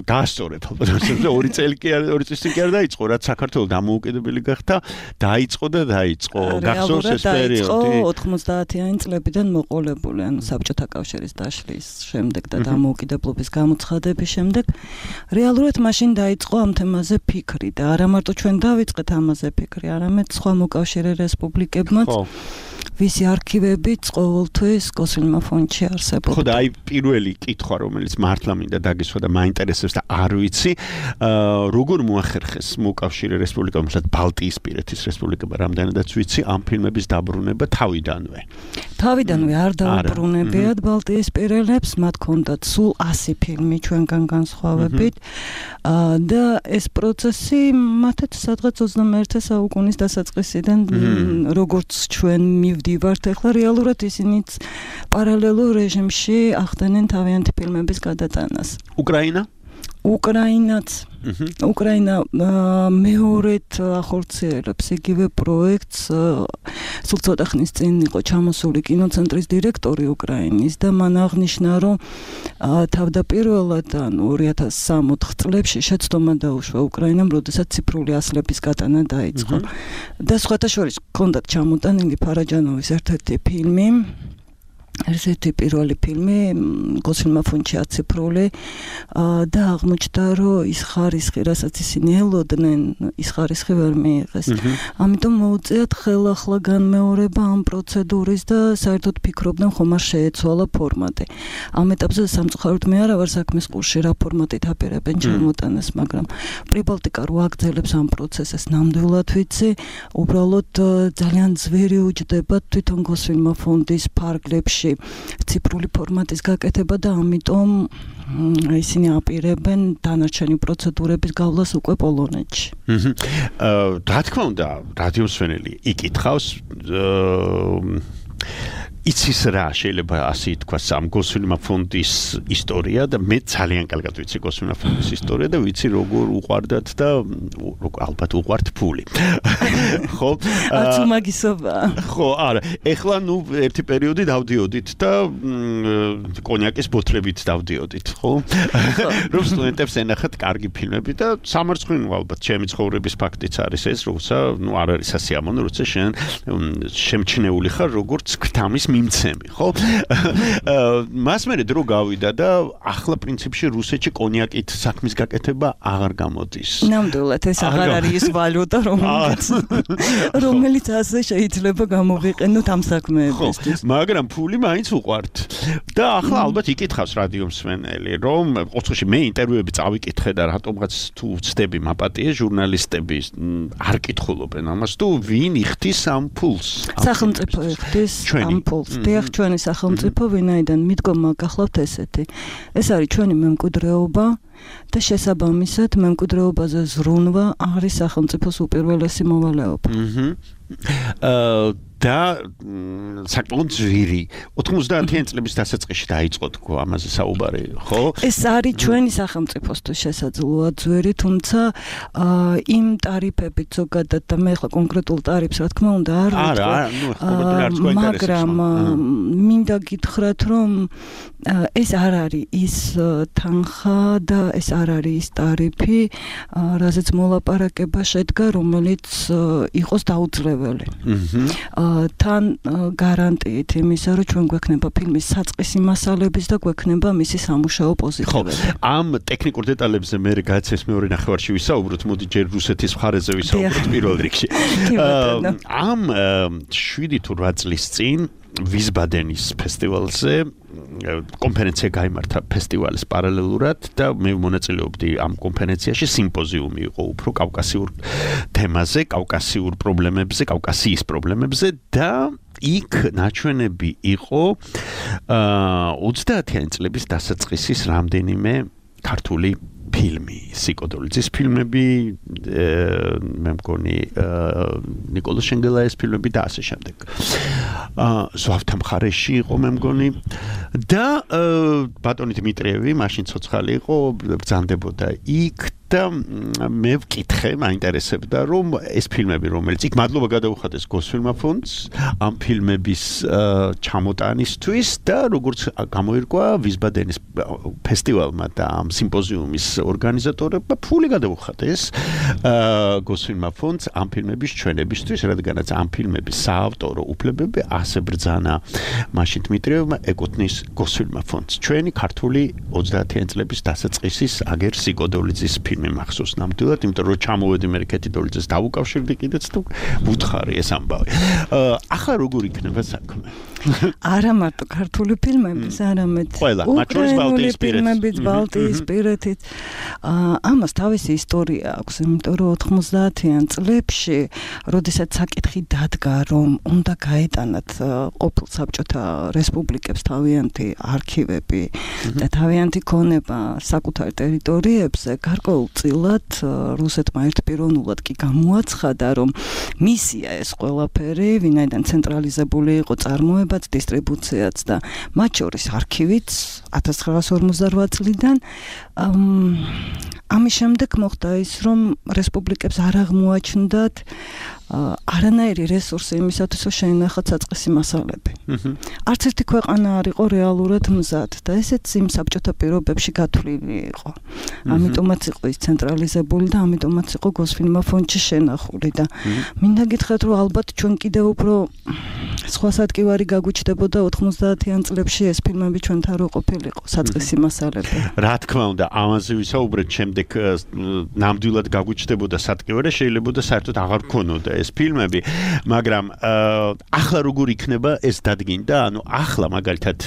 გაასწორებ, ალბათ ორი წელი კი არ ორი წლის წინ კი არ დაიწყო, რაც საქართველო დამოუკიდებელი გახდა, დაიწყო და დაიწყო. გახსოვს ეს პერიოდი? ოთხმოცდაათიანი წლებიდან მოყოლებული, ანუ საბჭოთა კავშირის დაშლის შემდეგ და დამოუკიდებლობის გამოცხადების შემდეგ, რეალურად მაშინ დაიწყო ამ თემაზე ფიქრი და არა მარტო ჩვენ დავიწყეთ ამაზე ფიქრი, არამედ სხვა მოკავშირე რესპუბლიკებმაც, ვისი არქივებიც ყოველთვის გოსვილმა ფონდში არსებობდა. ხო და აი პირველი კითხვა, რომელიც მართლა მინდა დაგისვა და მაინტერესებს და არ ვიცი, როგორ მოახერხეს მოკავშირე რესპუბლიკამ, თუმცა ბალტიისპირეთის რესპუბლიკამ, რამდენადაც ვიცი, ამ ფილმების დაბრუნება თავიდანვე. თავიდანვე არ დაუბრუნებიათ ბალტიისპირელებს, მათ ჰქონდათ სულ ასი ფილმი ჩვენგან განსხვავებით და ეს პროცესი მათაც სადღაც ოცდამეერთე საუკუნის დასაწყისიდან როგორც ჩვენ მივდივართ, ახლა რეალურად ისინიც პარალელურ რეჟიმში ახდენენ თავიანთი ფილმების გადატანას. უკრაინა? უკრაინაც. უკრაინა მეორედ ახორციელებს იგივე პროექტს. სულ ცოტა ხნის წინ იყო ჩამოსული კინოცენტრის დირექტორი უკრაინის და მან აღნიშნა, რომ თავდაპირველად ანუ ორი ათას სამოთხ წლებში შეცდომა დაუშვა უკრაინამ, როდესაც ციფრული ასლების გატანა დაიწყო. და სხვათა შორის ჰქონდათ ჩამოტანილი ფარაჯანოვის ერთ-ერთი ფილმი. ერთ-ერთი პირველი ფილმი გოსვილმა ფონდში აციფრული და აღმოჩნდა, რომ ის ხარისხი, რასაც ისინი ელოდნენ, ის ხარისხი ვერ მიიღეს. ამიტომ მოუწიათ ხელახლა განმეორება ამ პროცედურის და საერთოდ ფიქრობდნენ, ხომ არ შეეცვალა ფორმატი. ამ ეტაპზე სამწუხაროდ მე არა ვარ საქმის ყურში, რა ფორმატით აპირებენ ჩამოტანას, მაგრამ პრიბალტიკა რო აგრძელებს ამ პროცესს, ნამდვილად ვიცი, უბრალოდ ძალიან ძვირი უჯდება თვითონ გოსვილმა ფონდის ფარგლებში ციფრული ფორმატის გაკეთება და ამიტომ ისინი აპირებენ დანარჩენი პროცედურების გავლას უკვე პოლონეთში. აჰა. რა თქმა უნდა, რადიო მსმენელი იკითხავს იცის რა შეიძლება ასე თქვა სამ გოსვინმა ფონდის ისტორია და მე ძალიან კარგად ვიცი გოსვინმა ფონდის ისტორია და ვიცი როგორ უყვარდათ და ალბათ უყვართ ფული. ხო? აცუ მაგისობა. ხო, არა. ეხლა ნუ ერთი პერიოდი დავდიოდით და კონიაკის ბოთლებით დავდიოდით, ხო? რომ სტუდენტებს ენახათ კარგი ფილმები და სამარცხვინო ალბათ ჩემი ცხოვრების ფაქტიც არის ეს, როცა ნუ არ არის სასიამოვნო, როცა შენ შემჩნეული ხარ როგორც ქრთამის მიმცემი, ხო? მას მერე დრო გავიდა და ახლა პრინციპში რუსეთში კონიაკით საქმის გაკეთება აღარ გამოდის. ნამდვილად ეს აღარ არის ის ვალუტა, რომელიც რომელიც ასე შეიძლება გამოვიყენოთ ამ საქმეებისთვის. მაგრამ ფული მაინც უყვართ. და ახლა ალბათ იკითხავს რადიო მსმენელი, რომ ოთხში მე ინტერვიუები წავიკითხე და რატომღაც თუ ვცდები მაპატიე ჟურნალისტები არ კითხულობენ ამას თუ ვინ იხდის ამ ფულს? სახელმწიფო იხდის ამ ფულს. დიახ, ჩვენი სახელმწიფო ვინაიდან მიდგომა გახლავთ ესეთი. ეს არის ჩვენი მემკვიდრეობა და შესაბამისად მემკვიდრეობაზე ზრუნვა არის სახელმწიფოს უპირველესი მოვალეობა. აჰა. და საკმაოდ ძვირი ოთხმოცდაათიან წლების დასაწყისში დაიწყო თქო ამაზე საუბარი, ხო? ეს არის ჩვენი სახელმწიფოსთვის შესაძლოა ძვირი, თუმცა იმ ტარიფებით ზოგადად და მე ახლა კონკრეტულ ტარიფს რა თქმა უნდა არ ვიტყვი. არა, ნუ კონკრეტულად არც გვაინტერესებს. მაგრამ მინდა გითხრათ, რომ ეს არ არის ის თანხა და ეს არ არის ის ტარიფი, რაზეც მოლაპარაკება შედგა, რომელიც იყოს დაუძლეველი. აჰა. თან გარანტიით იმისა, რომ ჩვენ გვექნება ფილმის საწყისი მასალების და გვექნება მისი სამუშაო პოზიტივები. ამ ტექნიკურ დეტალებზე მე გააცეს მეორე ნახევარში ვისაუბროთ, მოდი ჯერ რუსეთის მხარეზე ვისაუბროთ პირველ რიგში. ამ შვიდი თუ რვა წლის წინ ვიზბადენის ფესტივალზე კონფერენცია გაიმართა ფესტივალის პარალელურად და მე მონაწილეობდი ამ კონფერენციაში, სიმპოზიუმი იყო უფრო კავკასიურ თემაზე, კავკასიურ პრობლემებზე, კავკასიის პრობლემებზე და იქ ნაჩვენები იყო ოცდაათიან წლების დასაწყისის რამდენიმე ქართული ფილმი, სიკოდოლიძის ფილმები, მე მგონი ნიკოლოზ შენგელაის ფილმები და ასე შემდეგ. აა ზვავთა მხარეში იყო მე მგონი და ბატონი დიმიტრიევი მაშინ ცოცხალი იყო, ბრძანდებოდა იქ და მე ვკითხე, მაინტერესებდა რომ ეს ფილმები რომელიც იქ მადლობა გადაუხადეს გოსფილმა ფონდს ამ ფილმების ჩამოტანისთვის და როგორც გამოირკვა ვიზბადენის ფესტივალმა და ამ სიმპოზიუმის ორგანიზატორებმა ფული გადაუხადეს გოსფილმა ფონდს ამ ფილმების ჩვენებისთვის, რადგანაც ამ ფილმების საავტორო უფლებები ასე ბრძანა მაშინ დიმიტრიევმა ეკუთვნის გოსფილმა ფონდს. ჩვენი ქართული ოცდაათიან წლების დასაწყისის აგერ სიკოდოლიძის ფილმი მახსოვს ნამდვილად, იმიტომ რომ ჩამოვედი მე კეთიდოლიძეს დავუკავშირდი კიდეც თუ ვუთხარი ეს ამბავი. ახლა როგორ იქნება საქმე? არა მარტო ქართული ფილმების, არამედ უკრაინული ფილმების ბალტიისპირეთით. ამას თავისი ისტორია აქვს, იმიტომ რომ ოთხმოცდაათიან წლებში, როდესაც საკითხი დადგა, რომ უნდა გაეტანათ ყოფილ საბჭოთა რესპუბლიკებს თავიანთი არქივები და თავიანთი ქონება საკუთარ ტერიტორიებზე, გარკვეულწილად რუსეთმა ერთპიროვნულად კი გამოაცხადა, რომ მისია ეს ყველაფერი, ვინაიდან ცენტრალიზებული იყო წარმოებაც, დისტრიბუციაც და მათ შორის არქივიც ათას ცხრაას ორმოცდარვა წლიდან. ამის შემდეგ მოხდა ის, რომ რესპუბლიკებს არ აღმოაჩნდათ არანაირი რესურსი იმისათვის, რომ შეინახათ საწყისი მასალები. არც ერთი ქვეყანა არ იყო რეალურად მზად და ესეც იმ საბჭოთა პირობებში გათვლილი იყო. ამიტომაც იყო ის ცენტრალიზებული და ამიტომაც იყო გოსფილმა ფონდში შენახული და მინდა გითხრათ, რომ ალბათ ჩვენ კიდევ უფრო სხვა სადგივარი გაგვიჩნდებოდა ოთხმოცდაათიან წლებში ეს ფილმები ჩვენთან რო ყოფილიყო საწყისი მასალები. რა თქმა უნდა, ამაზე ვისაუბრეთ შემდეგ ნამდვილად გაგვიჩნდებოდა სადგივარი, შეიძლება და საერთოდ აღარ ქონოდა ეს ფილმები, მაგრამ ახლა როგორ იქნება ეს დადგინდა, ანუ ახლა მაგალითად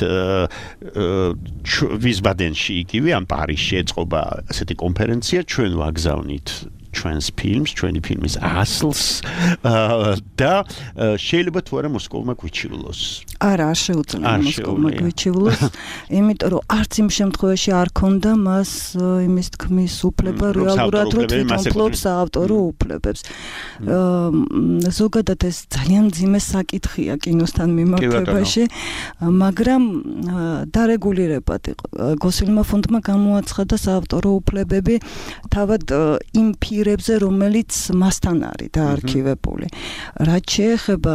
ვიზბადენში იგივე ან პარიზში ეწყობა ასეთი კონფერენცია, ჩვენ ვაგზავნით ჩვენს ფილმს, ჩვენი ფილმის ასლს და შეიძლება თუ არა მოსკოვმა გვიჩივლოს. არა, არ შეუძლია მოსკოვმა გვიჩივლოს, იმიტომ რომ არც იმ შემთხვევაში არ ქონდა მას იმის თქმის უფლება რეალურად რომ თვითონ ფლობს საავტორო უფლებებს. ზოგადად ეს ძალიან მძიმე საკითხია კინოსთან მიმართებაში, მაგრამ დარეგულირებად იყო. გოსილმა ფონდმა გამოაცხადა საავტორო უფლებები თავად იმ ფირებზე, რომელიც მასთან არის დაარქივებული. რაც შეეხება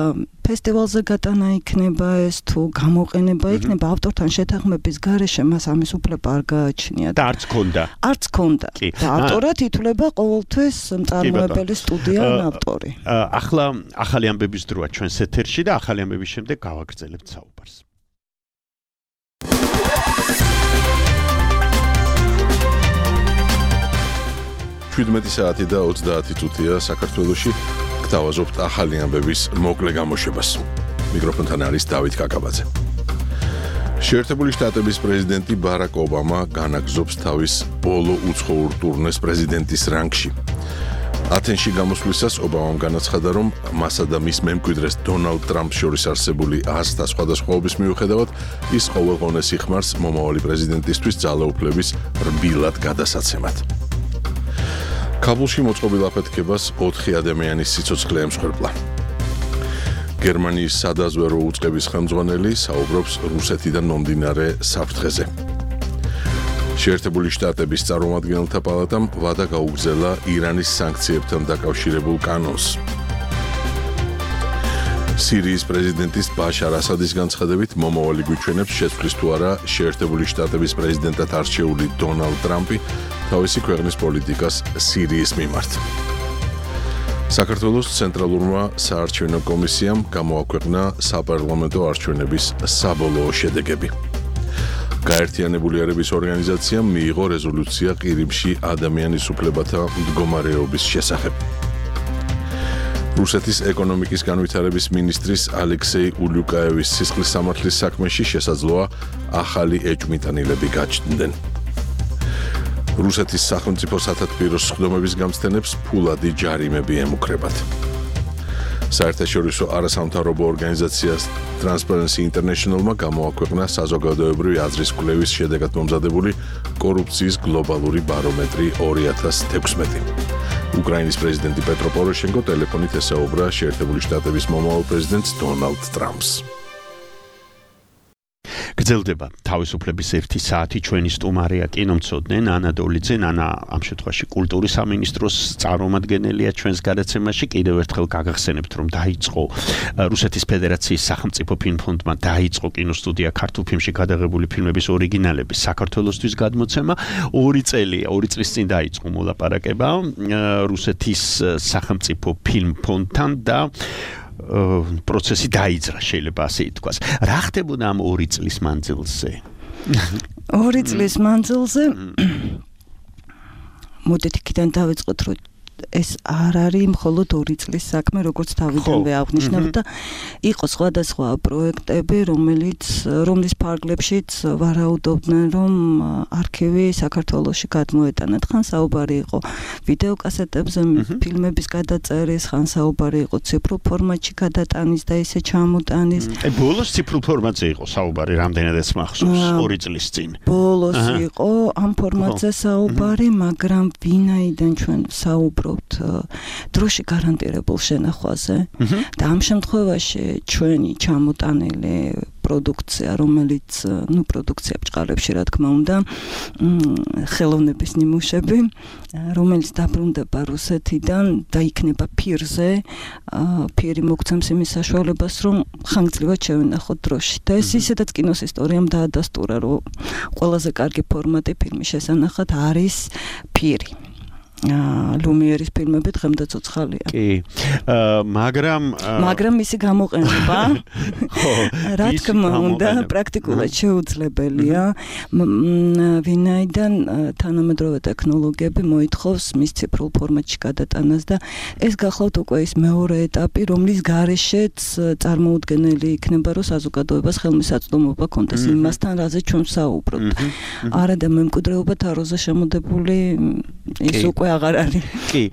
ფესტივალზე გატანა იქნება ეს თუ გამოყენება იქნება ავტორთან შეთანხმების გარეშე მას ამის უფლება არ გააჩნია და არც ქონდა. არც ქონდა. და ავტორად ითვლება ყოველთვის მწარმოებელი სტუდია ან ავტორი. ახლა ახალი ამბების დროა ჩვენს ეთერში და ახალი ამბების შემდეგ გავაგრძელებთ საუბარს. შვიდმეტი საათი და ოცდაათი წუთია საქართველოში. გთავაზობთ ახალი ამბების მოკლე გამოშვებას. მიკროფონთან არის დავით კაკაბაძე. შეერთებული შტატების პრეზიდენტი ბარაკ ობამა განაგზობს თავის ბოლო უცხოურ ტურნეს პრეზიდენტის რანგში. ათენში გამოსვლისას ობამამ განაცხადა, რომ მასა და მის მემკვიდრეს დონალდ ტრამპს შორის არსებული აზრთა სხვადასხვაობის მიუხედავად, ის ყოველგვარს იხმარს მომავალი პრეზიდენტისთვის ძალაუფლების რბილად გადასაცემად. კაბულში მოწყობილ აფეთქებას ოთხი ადამიანის სიცოცხლე ემსხვერპლა. გერმანიის სადაზვერო უწყების ხელმძღვანელი საუბრობს რუსეთიდან მომდინარე საფრთხეზე. შეერთებული შტატების წარმომადგენელთა პალატამ ვადა გაუგზავნა ირანის სანქციებთან დაკავშირებულ კანონს. სირიის პრეზიდენტის ბაშარ ასადის განცხადებით მომავალი გვიჩვენებს შეცვლის თუ არა შეერთებული შტატების პრეზიდენტად არჩეული დონალდ ტრამპი თავისი ქვეყნის პოლიტიკას სირიის მიმართ. საქართველოს ცენტრალურმა საარჩევნო კომისიამ გამოაქვეყნა საპარლამენტო არჩევნების საბოლოო შედეგები. გაერთიანებული ერების ორგანიზაციამ მიიღო რეზოლუცია ყირიმში ადამიანის უფლებათა მდგომარეობის შესახებ. რუსეთის ეკონომიკის განვითარების მინისტრის ალექსეი ულიუკაევის სისხლის სამართლის საქმეში შესაძლოა ახალი ეჭვმიტანილები გაჩნდნენ. რუსეთის სახელმწიფო სათათბიროს სხდომების გამცდენებს ფულადი ჯარიმები ემუქრებათ. საერთაშორისო არასამთავრობო ორგანიზაცია Transparency International-მა გამოაქვეყნა საზოგადოებრივი აზრის კვლევის შედეგად მომზადებული კორუფციის გლობალური ბარომეტრი ორი ათას თექვსმეტი. უკრაინის პრეზიდენტი პეტრო პოროშენკო ტელეფონით ესაუბრა შეერთებული შტატების მომავალ პრეზიდენტს დონალდ ტრამპს. გრძელდება თავისუფლების ერთი საათი. ჩვენი სტუმარია კინომცოდნე ნანა დოლიძე. ნანა ამ შემთხვევაში კულტურის სამინისტროს წარმომადგენელია ჩვენს გადაცემაში. კიდევ ერთხელ გაგახსენებთ, რომ დაიწყო რუსეთის ფედერაციის სახელმწიფო ფილმფონდმა დაიწყო კინოსტუდია ქართულ ფილმში გადაღებული ფილმების ორიგინალების საქართველოსთვის გადმოცემა. ორი წელი, ორი წლის წინ დაიწყო მოლაპარაკება რუსეთის სახელმწიფო ფილმფონდთან და პროცესი დაიძრა, შეიძლება ასე ითქვას. რა ხდებოდა ამ ორი წლის მანძილზე? ორი წლის მანძილზე მოდით იქიდან დავიწყოთ, რომ ეს არ არის მხოლოდ ორი წლის საქმე, როგორც თავიდანვე აღნიშნავთ და იყო სხვადასხვა პროექტები, რომელიც რომლის ფარგლებშიც ვარაუდობდნენ, რომ არქივი საქართველოში გადმოეტანათ. ხან საუბარი იყო ვიდეოკასეტებზე ფილმების გადაწერის, ხან საუბარი იყო ციფრულ ფორმატში გადატანის და ისე ჩამოტანის. აი ბოლოს ციფრულ ფორმატზე იყო საუბარი, რამდენადაც მახსოვს, ორი წლის წინ. ბოლოს იყო ამ ფორმატზე საუბარი, მაგრამ ვინაიდან ჩვენ საუბრობთ დროში გარანტირებულ შენახვაზე და ამ შემთხვევაში ჩვენი ჩამოტანილი პროდუქცია, რომელიც, ну, პროდუქცია ბჭყალებში, რა თქმა უნდა, ხელოვნების ნიმუშები, რომელიც დაბრუნდება რუსეთიდან და იქნება ფირზე, ფირი მოგცემს იმის საშუალებას, რომ ხანგრძლივად შევენახოთ დროში. და ეს ისედაც კინოს ისტორიამ დაადასტურა, რომ ყველაზე კარგი ფორმატი ფილმის შესანახად არის ფირი. ლუმიერის ფილმები დღემდე ცოცხალია. კი. მაგრამ მაგრამ მისი გამოყენება ხო, რა თქმა უნდა, პრაქტიკულად შეუძლებელია. ვინაიდან თანამედროვე ტექნოლოგიები მოითხოვს მის ციფრულ ფორმატში გადატანას და ეს გახლავთ უკვე ის მეორე ეტაპი, რომლის გარეშეც წარმოუდგენელი იქნება, რომ საზოგადოებას ხელმისაწვდომობა კონდეს იმასთან, რაზე ჩვენ ვსაუბრობთ. არა და მემკვიდრეობა თაროზე შემოდებული ის უკვე აღარ არის. კი.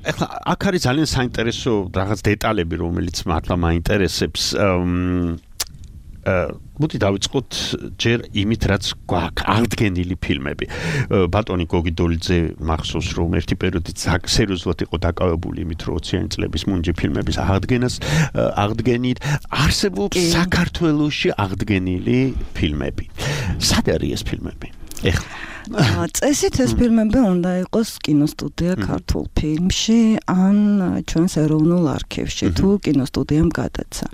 ეხლა აქ არის ძალიან საინტერესო რაღაც დეტალები, რომელიც მართლა მაინტერესებს. მოდი დავიწყოთ ჯერ იმით, რაც გვაქვს აღდგენილი ფილმები. ბატონი გოგი დოლიძე მახსოვს, რომ ერთი პერიოდი სერიოზულად იყო დაკავებული იმით, რომ ოციანი წლების მუნჯი ფილმების აღდგენას აღდგენით. არსებობს საქართველოში აღდგენილი ფილმები. სად არის ეს ფილმები? ეხლა წესით ეს ფილმები უნდა იყოს კინოსტუდია ქართულ ფილმში ან ჩვენს ეროვნულ არქივში თუ კინოსტუდიამ გადაცა.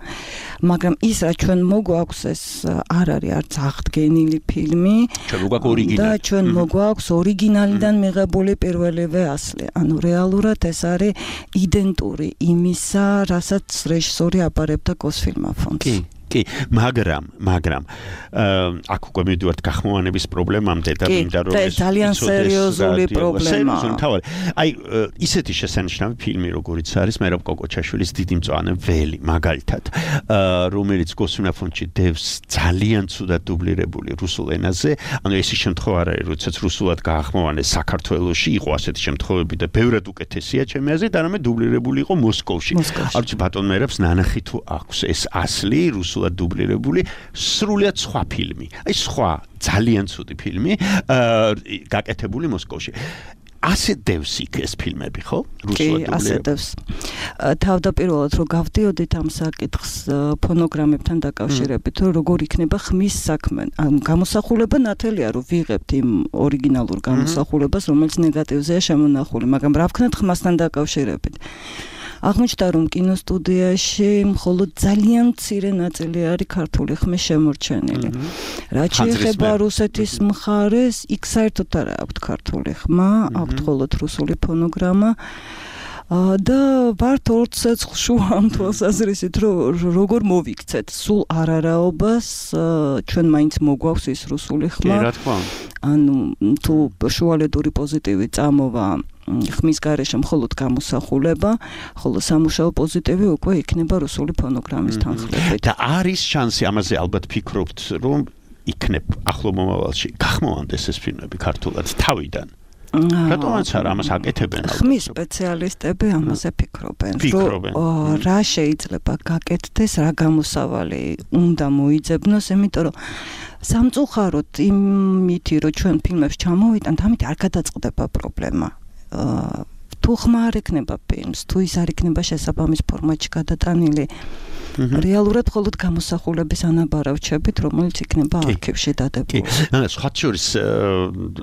მაგრამ ის რა ჩვენ მოგვაქვს ეს არ არის არც აღდგენილი ფილმი და ჩვენ მოგვაქვს ორიგინალიდან მიღებული პირველივე ასლი. ანუ რეალურად ეს არის იდენტური იმისა, რასაც რეჟისორი აბარებდა გოსფილმაფონდს. კი, მაგრამ, მაგრამ აქ უკვე მივდივართ გახმოვანების პრობლემამდე და მინდა რომ ეს ძალიან სერიოზული პრობლემაა. აი, ისეთი შესანიშნავი ფილმი, როგორიც არის მერაბ კოკოჩაშვილის დიდი მწვანე ველი, მაგალითად, რომელიც გოსფილმაფონდში დევს ძალიან ცუდად დუბლირებული რუსულ ენაზე. ანუ ეს შემთხვევა არ არის, როდესაც რუსულად გაახმოვანეს საქართველოში, იყო ასეთი შემთხვევები და ბევრად უკეთესია ჩემი აზრით, არამედ დუბლირებული იყო მოსკოვში. არ ვიცი ბატონ მერაბს ნანახი თუ აქვს ეს ასლი რუსულად დუბლირებული სრულიად სხვა ფილმი. აი სხვა ძალიან ცუდი ფილმი გაკეთებული მოსკოვში. ასე დევს იქ ეს ფილმები, ხო? რუსულად დუბლირებული. კი, ასე დევს. თავდაპირველად რომ გავდიოდით ამ საკითხს ფონოგრამებთან დაკავშირებით, რომ როგორ იქნება ხმის საქმე. გამოსახულება ნათელია, რომ ვიღებთ იმ ორიგინალურ გამოსახულებას, რომელიც ნეგატივზეა შემონახული, მაგრამ რა ვქნათ ხმასთან დაკავშირებით. აღმოჩნდა რომ კინოსტუდიაში მხოლოდ ძალიან მცირე ნაწილი არის ქართული ხმის შემორჩენილი. რაც შეეხება რუსეთის მხარეს, იქ საერთოდ არ აქვს ქართული ხმა, აქვს მხოლოდ რუსული ფონოგრამა. და ვართ ორ ცეცხლში ამ თვალსაზრისით, რომ როგორ მოვიქცეთ სულ არარაობას, ჩვენ მაინც მოგვაქვს ის რუსული ხმა. კი, რა თქმა უნდა. ანუ თუ შუალედური პოზიტივი წამოვა ხმის გარეშე მხოლოდ გამოსახულება, ხოლო სამუშაო პოზიტივი უკვე იქნება რუსული ფონოგრამის თანხლებით. და არის შანსი, ამაზე ალბათ ფიქრობთ, რომ იქნებ ახლო მომავალში გახმოვანდეს ეს ფილმები ქართულად თავიდან. რატომაც არ ამას აკეთებენ? ხმის სპეციალისტები ამაზე ფიქრობენ, რომ რა შეიძლება გაკეთდეს, რა გამოსავალი უნდა მოიძებნოს, იმიტომ რომ სამწუხაროდ იმითი, რომ ჩვენ ფილმებს ჩამოვიტანთ, ამით არ გადაწყდება პრობლემა. თუ ხმა არ ექნება ფილმს, თუ ის არ იქნება შესაბამის ფორმატში გადატანილი, რეალურად მხოლოდ გამოსახულების ანაბარავჩებით, რომელიც იქნება არქივში დადებული. კი, სხვათა შორის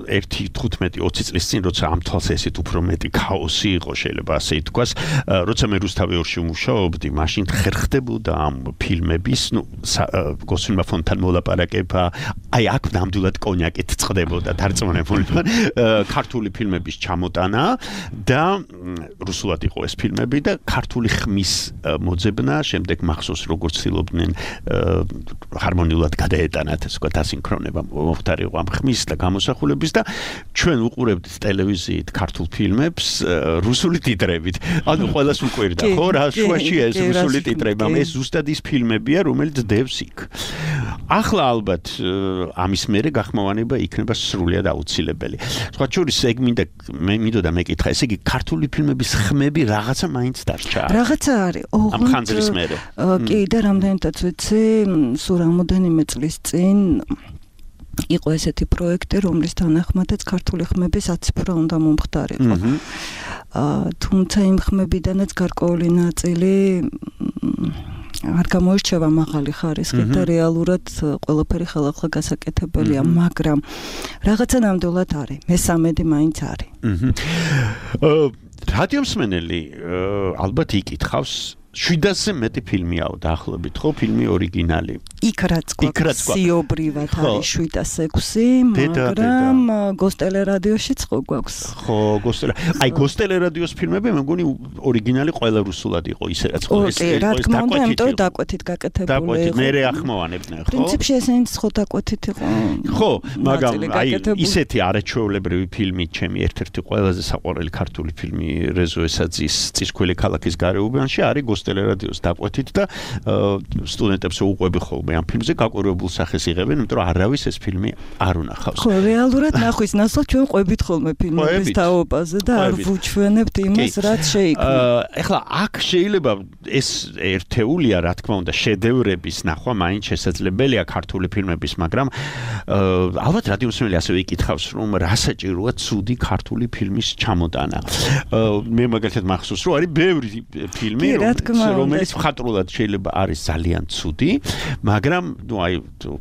ერთი თხუთმეტი ოცი წლის წინ, როცა ამ თვალსაზრისით უფრო მეტი ქაოსი იყო, შეიძლება ასე ითქვას, როცა მე რუსთავი ორში ვმუშაობდი, მაშინ ხერხდებოდა ამ ფილმების, ნუ გოსფილმაფონდთან მოლაპარაკება, აი აქ ნამდვილად კონიაკით წყდებოდა დარწმუნებული ვარ, ქართული ფილმების ჩამოტანა და რუსულად იყო ეს ფილმები და ქართული ხმის მოძებნა, შემდეგ მახსოვს როგორც ცდილობდნენ ჰარმონიულად გადაეტანათ, ასე ვთქვათ, ასინქრონება მოხდარიყო ამ ხმის და გამოსახულების და ჩვენ უყურებდით ტელევიზიით ქართულ ფილმებს რუსული ტიტრებით. ანუ ყველას უყვირდა, ხო, რა შუაში ეს რუსული ტიტრები, ეს ზუსტად ის ფილმებია, რომელიც დევს იქ. ახლა ალბათ ამის მერე გახმოვანება იქნება სრულიად აუცილებელი. სხვათა შორის ეგ მინდა მე მინდოდა მეკითხა, ესე იგი ქართული ფილმების ხმები რაღაცა მაინც დარჩა. რაღაცა არის. ამ ხანძრის მერე. კი, და რამდენადაც ვიცი, სულ რამოდენიმე წლის წინ იყო ესეთი პროექტი, რომლის თანახმადაც ქართული ხმების აციფრა უნდა მომხდარიყო. თუმცა იმ ხმებიდანაც გარკვეული ნაწილი არ გამოირჩევა მაღალი ხარისხით და რეალურად ყველაფერი ხელახლა გასაკეთებელია, მაგრამ რაღაცა ნამდვილად არის. მესამედი მაინც არის. რადიომსმენელი ალბათ იკითხავს შვიდასზე მეტი ფილმიაო დაახლოებით, ხო, ფილმი ორიგინალი. იქ რაც გვაქვს სიობრივად არის შვიდას ექვსი, მაგრამ გოსტელერადიოშიც ხო გვაქვს. ხო, გოსტელე. აი, გოსტელერადიოს ფილმები მე მგონი ორიგინალი ყველა რუსულად იყო, ისე რაც ხო ეს ეს რა თქმა უნდა, იმიტომ რომ დაკვეთით გაკეთებული იყო. დაკვეთით, მე ახმოვანებდნენ, ხო? პრინციპში ესენიც ხო დაკვეთით იყო. ხო, მაგრამ აი ისეთი არაჩვეულებრივი ფილმი, ჩემი ერთ-ერთი ყველაზე საყვარელი ქართული ფილმი რეზო ესაძის წისქვილი ქალაქის გარეუბანში არის გოსტელერადიოს დაკვეთით და სტუდენტებს უყვები ხოლმე ნახევარმა ამ ფილმზე გაკვირვებულ სახეს იღებენ, იმიტომ რომ არავის ეს ფილმი არ უნახავს. ხო, რეალურად ნახვის ნაცვლად ჩვენ ყვებით ხოლმე ფილმების თაობაზე და არ ვუჩვენებთ იმას, რაც შეიქმნა. ეხლა აქ შეიძლება ეს ერთეულია, რა თქმა უნდა, შედევრების ნახვა მაინც შესაძლებელია ქართული ფილმების, მაგრამ ალბათ რადიომსმენელი ასევე იკითხავს, რომ რა საჭიროა ცუდი ქართული ფილმის ჩამოტანა. მე მაგალითად მახსოვს, რომ არის ბევრი ფილმი, რომელიც მხატვრულად შეიძლება არის ძალიან ცუდი, მაგრამ ნუ აი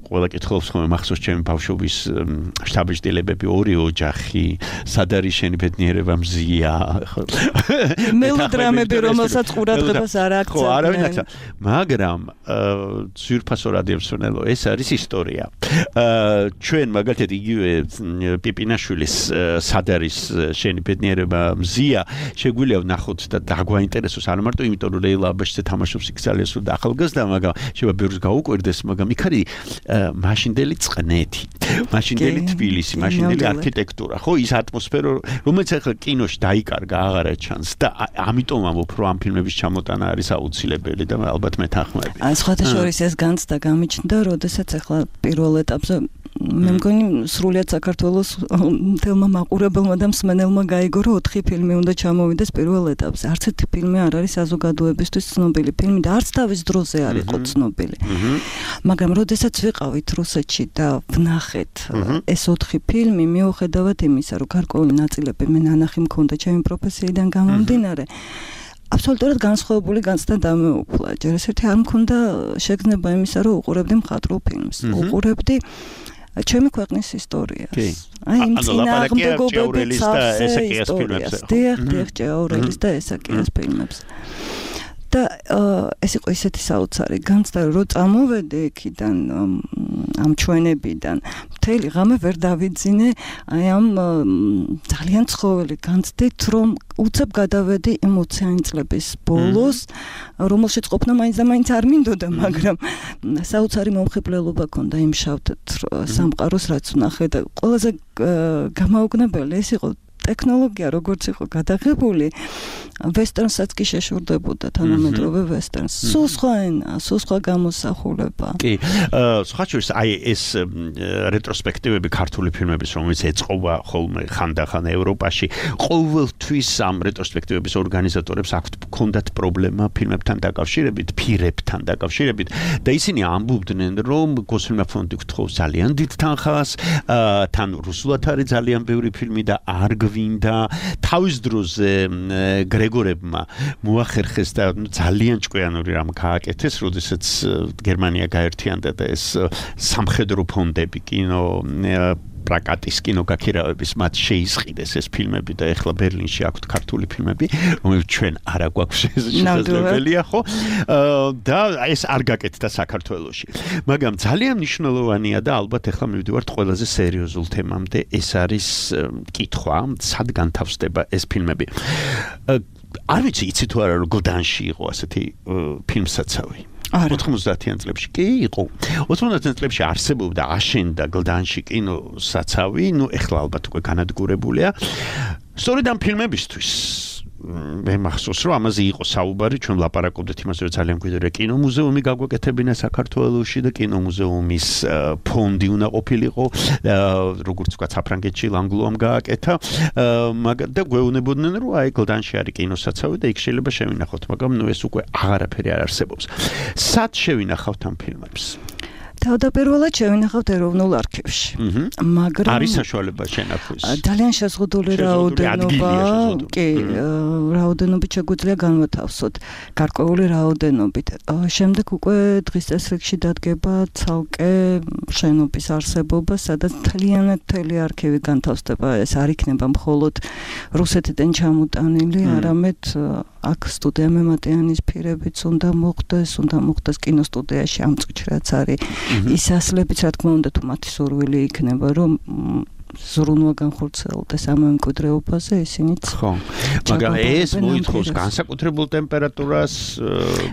ყველა კითხულობს ხოლმე მახსოვს ჩემი ბავშვობის შთაბეჭდილებები ორი ოჯახი, სად არის შენი ბედნიერება მზია, მელოდრამები, რომელსაც ყურადღებას არ აქცევენ. ხო, არავინ აქცევ. მაგრამ ძვირფასო რადიომსმენელო, ეს არის ისტორია. ჩვენ მაგალითად იგივე პიპინაშვილის სად არის შენი ბედნიერება მზია, შეგვიძლია ვნახოთ და დაგვაინტერესოს, არა მარტო იმიტომ რომ ლეილა აბაშიძე თამაშობს იქ ძალიან სულ და ახალგაზრდა, მაგრამ შეიძლება ბევრს გაუკვირდეს, მაგრამ იქ არის მაშინდელი წყნეთი, მაშინდელი თბილისი, მაშინდელი არქიტექტურა, ხო, ის ატმოსფერო, რომელიც ახლა კინოში დაიკარგა, აღარა ჩანს და ამიტომ ამბობ, რომ ამ ფილმების ჩამოტანა არის აუცილებელი და ალბათ მეთანხმები. აი, სხვათა შორის ეს განცდა გამიჩნდა, როდესაც ახლა პირველ ეტაპზე მე მგონი სრულიად საქართველოს თელმა მაყურებელმა და მსმენელმა გაიგო, რომ ოთხი ფილმი უნდა ჩამოვიდეს პირველ ეტაპზე. არც ერთი ფილმი არ არის საზოგადოებისთვის ცნობილი ფილმი და არც თავის დროზე არ იყო ცნობილი. მაგრამ როდესაც ვიყავით რუსეთში და ვნახეთ ეს ოთხი ფილმი, მიუხედავად იმისა, რომ გარკვეული ნაწილები მე ნანახი მქონდა ჩემი პროფესიიდან გამომდინარე, აბსოლუტურად განსხვავებული განცდა დამეუფლა. ჯერ ეს ერთი არ მქონდა შეგრძნება იმისა, რომ უყურებდი მხატვრულ ფილმს. უყურებდი ჩემი ქვეყნის ისტორიას. აი, იმ წინააღმდეგობების ისტორიას. დიახ, დიახ, ჭეაურელის და ესაკიას ფილმებს. და ეს იყო ისეთი საოცარი განცდა, რომ წამოვედი იქიდან ამ ჩვენებიდან. მთელი ღამე ვერ დავიძინე აი ამ ძალიან ცხოველი განცდით, რომ უცებ გადავედი იმ ოციანი წლების ბოლოს, რომელშიც ყოფნა მაინც და მაინც არ მინდოდა, მაგრამ საოცარი მომხიბლელობა ქონდა იმ შავ სამყაროს, რაც ვნახე და ყველაზე გამაოგნებელი ეს იყო ტექნოლოგია როგორც იყო გადაღებული, ვესტერნსაც კი შეშურდებოდა თანამედროვე ვესტერნს. სულ სხვა ენა, სულ სხვა გამოსახულება. კი, სხვა შორის აი ეს რეტროსპექტივები ქართული ფილმების, რომელიც ეწყობა ხოლმე ხანდახან ევროპაში, ყოველთვის ამ რეტროსპექტივების ორგანიზატორებს აქვთ ჰქონდათ პრობლემა ფილმებთან დაკავშირებით, ფირებთან დაკავშირებით და ისინი ამბობდნენ, რომ გოსილმა ფონდი გთხოვს ძალიან დიდ თანხას, თან რუსულად არის ძალიან ბევრი ფილმი და არ გვინდა თავის დროზე გრეგორებმა მოახერხეს და ძალიან ჭკვიანური რამ გააკეთეს, როდესაც გერმანია გაერთიანდა და ეს სამხედრო ფონდები კინო პრაკატის კინოგაქირავების მათ შეისყიდეს ეს ფილმები და ეხლა ბერლინში აქვთ ქართული ფილმები, რომელიც ჩვენ არ აგვაქვს შესაძლებელია, ხო? და ეს არ გაკეთდა საქართველოში. მაგრამ ძალიან მნიშვნელოვანია და ალბათ ეხლა მივდივართ ყველაზე სერიოზულ თემამდე, ეს არის კითხვა, სად განთავსდება ეს ფილმები. არ ვიცი, იცი თუ არა, რომ გლდანში იყო ასეთი ფილმსაცავი. ოთხმოცდაათიან წლებში კი იყო. ოთხმოცდაათიან წლებში არსებობდა, აშენდა გლდანში კინოსაცავი, ნუ ეხლა ალბათ უკვე განადგურებულია. სწორედ ამ ფილმებისთვის მე მახსოვს, რომ ამაზე იყო საუბარი, ჩვენ ვლაპარაკობდით იმაზე, რომ ძალიან მკვიდრია კინომუზეუმი გაგვეკეთებინა საქართველოში და კინომუზეუმის ფონდი უნდა ყოფილიყო, როგორც ვთქვათ, საფრანგეთში ლანგლუამ გააკეთა, მაგრამ და გვეუბნებოდნენ, რომ აი გლდანში არის კინოსაცავი და იქ შეიძლება შევინახოთ, მაგრამ ნუ ეს უკვე აღარაფერი არ არსებობს. სად შევინახავთ ამ ფილმებს? თავდაპირველად შევინახავთ ეროვნულ არქივში. მაგრამ არის საშუალება შენახვის. ძალიან შეზღუდული რაოდენობა, კი, რაოდენობით შეგვიძლია განვათავსოთ, გარკვეული რაოდენობით. შემდეგ უკვე დღის წესრიგში დადგება ცალკე შენობის არსებობა, სადაც მთლიანად მთელი არქივი განთავსდება. ეს არ იქნება მხოლოდ რუსეთიდან ჩამოტანილი, არამედ აქ სტუდია მემატიანის ფირებიც უნდა მოხდეს, უნდა მოხდეს კინოსტუდიაში ამ წუთში რაც არის. ის ასლებიც, რა თქმა უნდა, თუ მათი სურვილი იქნება, რომ ზრუნვა განხორციელდეს ამ მემკვიდრეობაზე, ისინიც ხო. მაგრამ ეს მოითხოვს განსაკუთრებულ ტემპერატურას,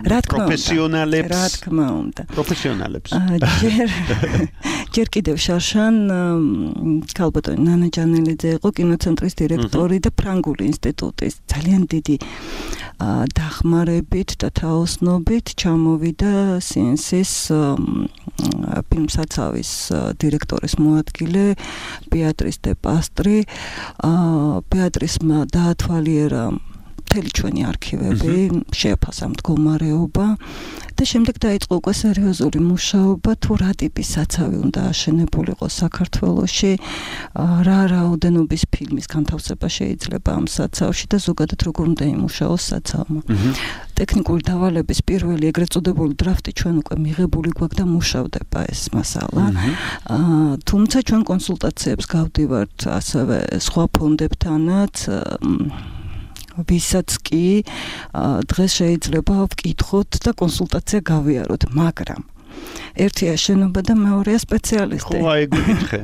პროფესიონალებს, რა თქმა უნდა. პროფესიონალებს. ჯერ ჯერ კიდევ შარშან ქალბატონი ნანა ჯანელიძე იყო კინოცენტრის დირექტორი და ფრანგული ინსტიტუტის ძალიან დიდი დახმარებით და თაოსნობით ჩამოვიდა სი ენ სის ფილმსაცავის დირექტორის მოადგილე ბეატრის დე პასტრი. ბეატრისმა დაათვალიერა მთელი ჩვენი არქივები, შეაფასა მდგომარეობა და შემდეგ დაიწყო უკვე სერიოზული მუშაობა თუ რა ტიპის საცავი უნდა აშენებულიყო საქართველოში, რა რაოდენობის ფილმის განთავსება შეიძლება ამ საცავში და ზოგადად როგორ უნდა იმუშაოს საცავმა. ტექნიკური დავალების პირველი ეგრეთ წოდებული დრაფტი ჩვენ უკვე მიღებული გვაქვს და მუშავდება ეს მასალა. თუმცა ჩვენ კონსულტაციებს გავდივართ ასევე სხვა ფონდებთანაც ვისაც კი დღეს შეიძლება ვკითხოთ და კონსულტაცია გავიაროთ, მაგრამ ერთია შენობა და მეორეა სპეციალისტი. ხო, აი გითხე.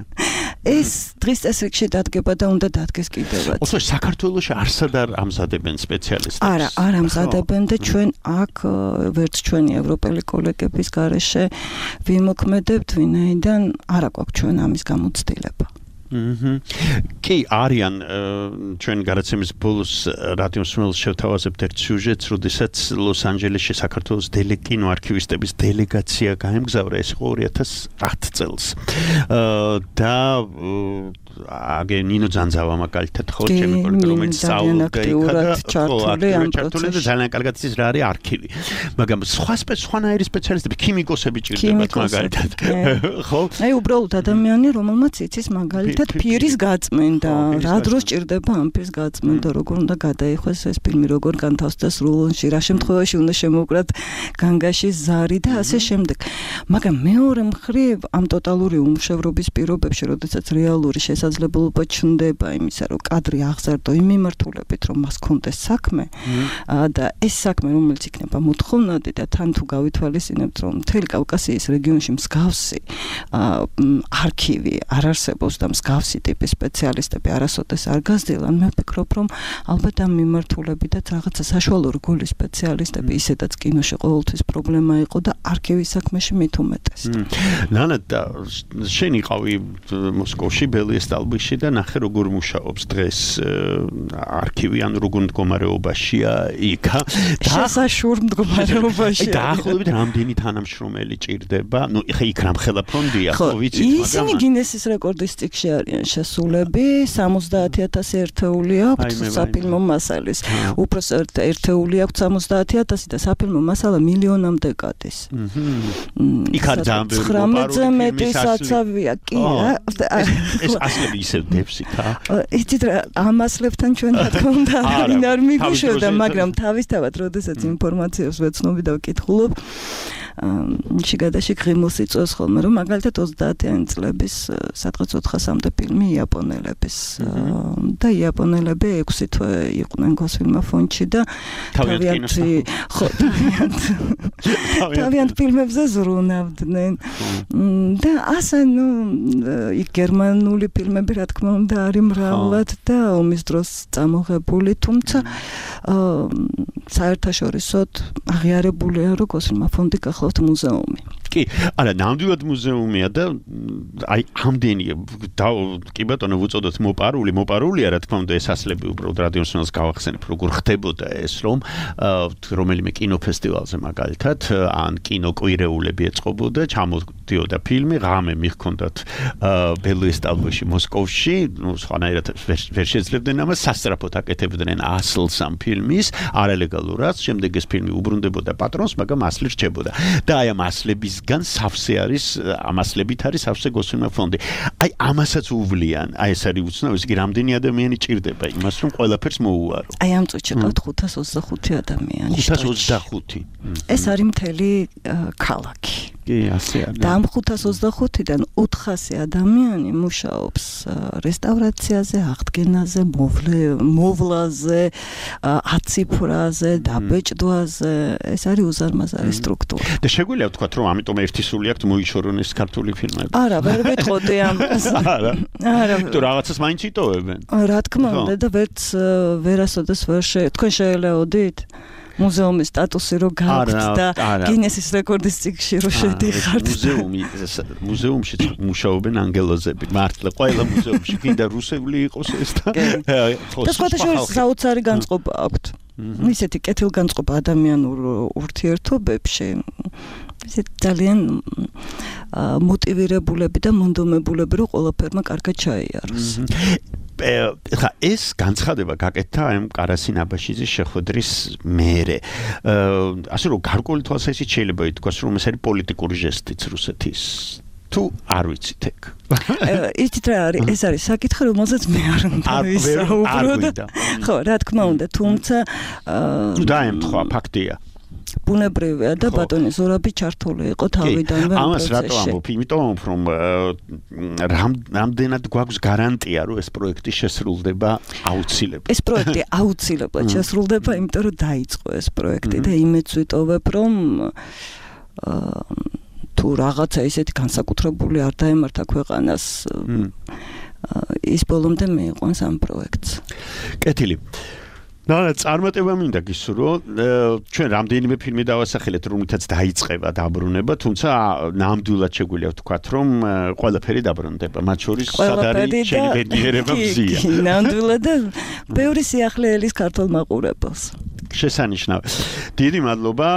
ეს დღის წესრიგში დადგება და უნდა დადგეს კიდევაც. ოსო საქართველოში არსად არ ამზადებენ სპეციალისტებს. არა, არ ამზადებენ და ჩვენ აქ ვერც ჩვენი ევროპელი კოლეგების გარეშე ვიმოქმედებთ, ვინაიდან არა გვაქვს ჩვენ ამის გამოცდილება. კი არიან ჩვენ გადაცემის ბოლოს რადიოს მსმენელს შევთავაზებთ ერთ სიუჟეტს, როდესაც ლოს-ანჯელესში საქართველოს კინოარქივისტების დელეგაცია გაემგზავრა, ეს იყო ორი ათას ათ წელს. და აგე ნინო ძანძავა მაგალითად ხო ჩემი კოლეგა რომელიც სწავლობდა იქა და ძალიან კარგად ის რა არის არქივი. მაგრამ სხვა სხვანაირი სპეციალისტები, ქიმიკოსები ჭირდებათ მაგალითად. ხო? აი უბრალოდ ადამიანი რომელმაც იცის მაგალითად პირის გაწმენდა, რა დროს ჭირდება ამ პირის გაწმენდა, როგორ უნდა გადაიხვეს ეს ფილმი, როგორ განთავსდეს რულონში, რა შემთხვევაში უნდა შემოუკრათ განგაში ზარი და ასე შემდეგ. მაგრამ მეორე მხრივ ამ ტოტალური უმუშევრობის პირობებში, როდესაც რეალური შესაძლებლობა ჩნდება იმისა, რომ კადრი აღზარდო იმ მიმართულებით, რომ მას კონდეს საქმე და ეს საქმე, რომელიც იქნება მოთხოვნადი და თან თუ გავითვალისწინებთ, რომ მთელი კავკასიის რეგიონში მსგავსი არქივი არ არსებობს და მსგავსი ტიპის სპეციალისტები არასოდეს არ გაზრდილან, მე ვფიქრობ, რომ ალბათ ამ მიმართულებითაც რაღაცა საშუალო რგოლის სპეციალისტები ისედაც კინოში ყოველთვის პრობლემა იყო და არქივის საქმეში მით უმეტეს. ნანა, შენ იყავი მოსკოვში, ბელიეს ტალბიში და ნახე როგორ მუშაობს დღეს არქივი, ან როგორ მდგომარეობაშია იქ. შესაშურ მდგომარეობაშია. დაახლოებით რამდენი თანამშრომელი ჭირდება? ნუ ხა იქ რამხელა ფონდია, ხო ვიცით, მაგრამ ისინი გინესის რეკორდის წიგნში არიან შესულები, სამოცდაათი ათასი ერთეული აქვს საფილმო მასალის. უпроსტ ერთეული აქვს სამოცდაათი ათასი და საფილმო მასალა მილიონამდე გადის. იქ არ ძალიან ბევრი ცხრამეტზე მეტი საცავია, კი. ეს ასლები ისევ დებს იქა. იცით რა, ამ ასლებთან ჩვენ რა თქმა უნდა არავინ არ მიგვიშვებდა, მაგრამ თავისთავად, როდესაც ინფორმაციას ვეცნობ და ვკითხულობ, შიგადაში ღიმილს იწვევს ხოლმე, რომ მაგალითად ოცდაათიანი წლების სადღაც ოთხასამდე ფილმი იაპონელების და იაპონელები ექვსი თვე იყვნენ გოსფილმა ფონდში და თავიანთი ხო თავიანთ ფილმებზე ზრუნავდნენ და ასე ნუ იქ გერმანული ფილმები რა თქმა უნდა არის მრავლად და ომის დროს წამოღებული, თუმცა საერთაშორისოდ აღიარებულია, რომ გოსფილმა ფონდი გახლავთ მუზეუმი. კი, არა, ნამდვილად მუზეუმია და აი ამდენი კი ბატონო ვუწოდოთ მოპარული, მოპარულია რა თქმა უნდა ეს ასლები უბრალოდ რადიოს მსმენელს გავახსენებ, როგორ ხდებოდა ეს, რომ რომელიმე კინოფესტივალზე მაგალითად ან კინოკვირეულები ეწყობოდა, ჩამოდიოდა ფილმი, ღამე მიჰქონდათ ბელიეს ტალბოში მოსკოვში, ნუ სხვანაირად ვერ შეძლებდნენ ამას, სასწრაფოდ აკეთებდნენ ასლს ამ ფილმის, არალეგალურად, შემდეგ ეს ფილმი უბრუნდებოდა პატრონს, მაგრამ ასლი რჩებოდა. და აი ამ ასლებისგან სავსე არის, ამ ასლებით არის სავსე გოსფილმა ფონდი. აი ამასაც უვლიან, აი ეს არის უცნაური, იგი რამდენი ადამიანი ჭირდება იმას, რომ ყველაფერს მოუარო. აი ამ წუთში ყავთ ხუთას ოცდახუთი ადამიანი. ხუთას ოცდახუთი. ეს არის მთელი ქალაქი. კი, ასე არის. და ამ ხუთას ოცდახუთიდან ოთხასი ადამიანი მუშაობს რესტავრაციაზე, აღდგენაზე, მოვლაზე, აციფრაზე, დაბეჭდვაზე. ეს არის უზარმაზარი სტრუქტურა. და შეგვიძლია ვთქვათ, რომ ამიტომ ერთი სული აქვთ მოიშორონ ეს ქართული ფილმები. არა, ვერ ვეთყოდი ამას. არა. არა. თუ რაღაცას მაინც იტოვებენ. რა თქმა უნდა და ვერც ვერასოდეს ვერ შე თქვენ შეელეოდით მუზეუმის სტატუსი რო გაქვთ და გინესის რეკორდის წიგნში რო შედიხართ. მუზეუმი მუზეუმში მუშაობენ ანგელოზები, მართლა ყველა მუზეუმში კიდე რუსული იყოს ეს და და სხვადასხვა საოცარი განწყობა აქვთ. ისეთი კეთილგანწყობა ადამიანურ ურთიერთობებში ისე ძალიან მოტივირებულები და მონდომებულები რომ ყველაფერმა კარგად ჩაიაროს. ხა ეს განცხადება გაკეთდა ამ კარასინ აბაშიძის შეხვედრის მერე. ასე რომ გარკვეული თვალსაზრისით შეიძლება ითქვას რომ ეს არის პოლიტიკური ჟესტიც რუსეთის თუ არ ვიცით ეგ. იცით რა არის ეს არის საკითხი რომელზეც მე არ უნდა ვისაუბრო. ხო რა თქმა უნდა თუმცა დაემთხვა ფაქტია. ბუნებრივია და ბატონი ზურაბი ჩართული იყო თავიდანვე ამ პროცესში. ამას რატო ამბობ? იმიტომ რომ რამდენად გვაქვს გარანტია რომ ეს პროექტი შესრულდება აუცილებლად. ეს პროექტი აუცილებლად შესრულდება, იმიტომ რომ დაიწყო ეს პროექტი და იმედს ვიტოვებ რომ თუ რაღაცა ისეთი განსაკუთრებული არ დაემართა ქვეყანას ის ბოლომდე მიიყვანს ამ პროექტს. კეთილი. და წარმატება მინდა გისურვო, ჩვენ რამდენიმე ფილმი დავასახელეთ, რომლითაც დაიწყება დაბრუნება, თუმცა ნამდვილად შეგვიძლია ვთქვათ, რომ ყველაფერი დაბრუნდება, მათ შორის სადარი შენებიერება მზია. ნამდვილად და ბევრი სიახლე ელის ქართულ მაყურებელს. შესანიშნავ. დიდი მადლობა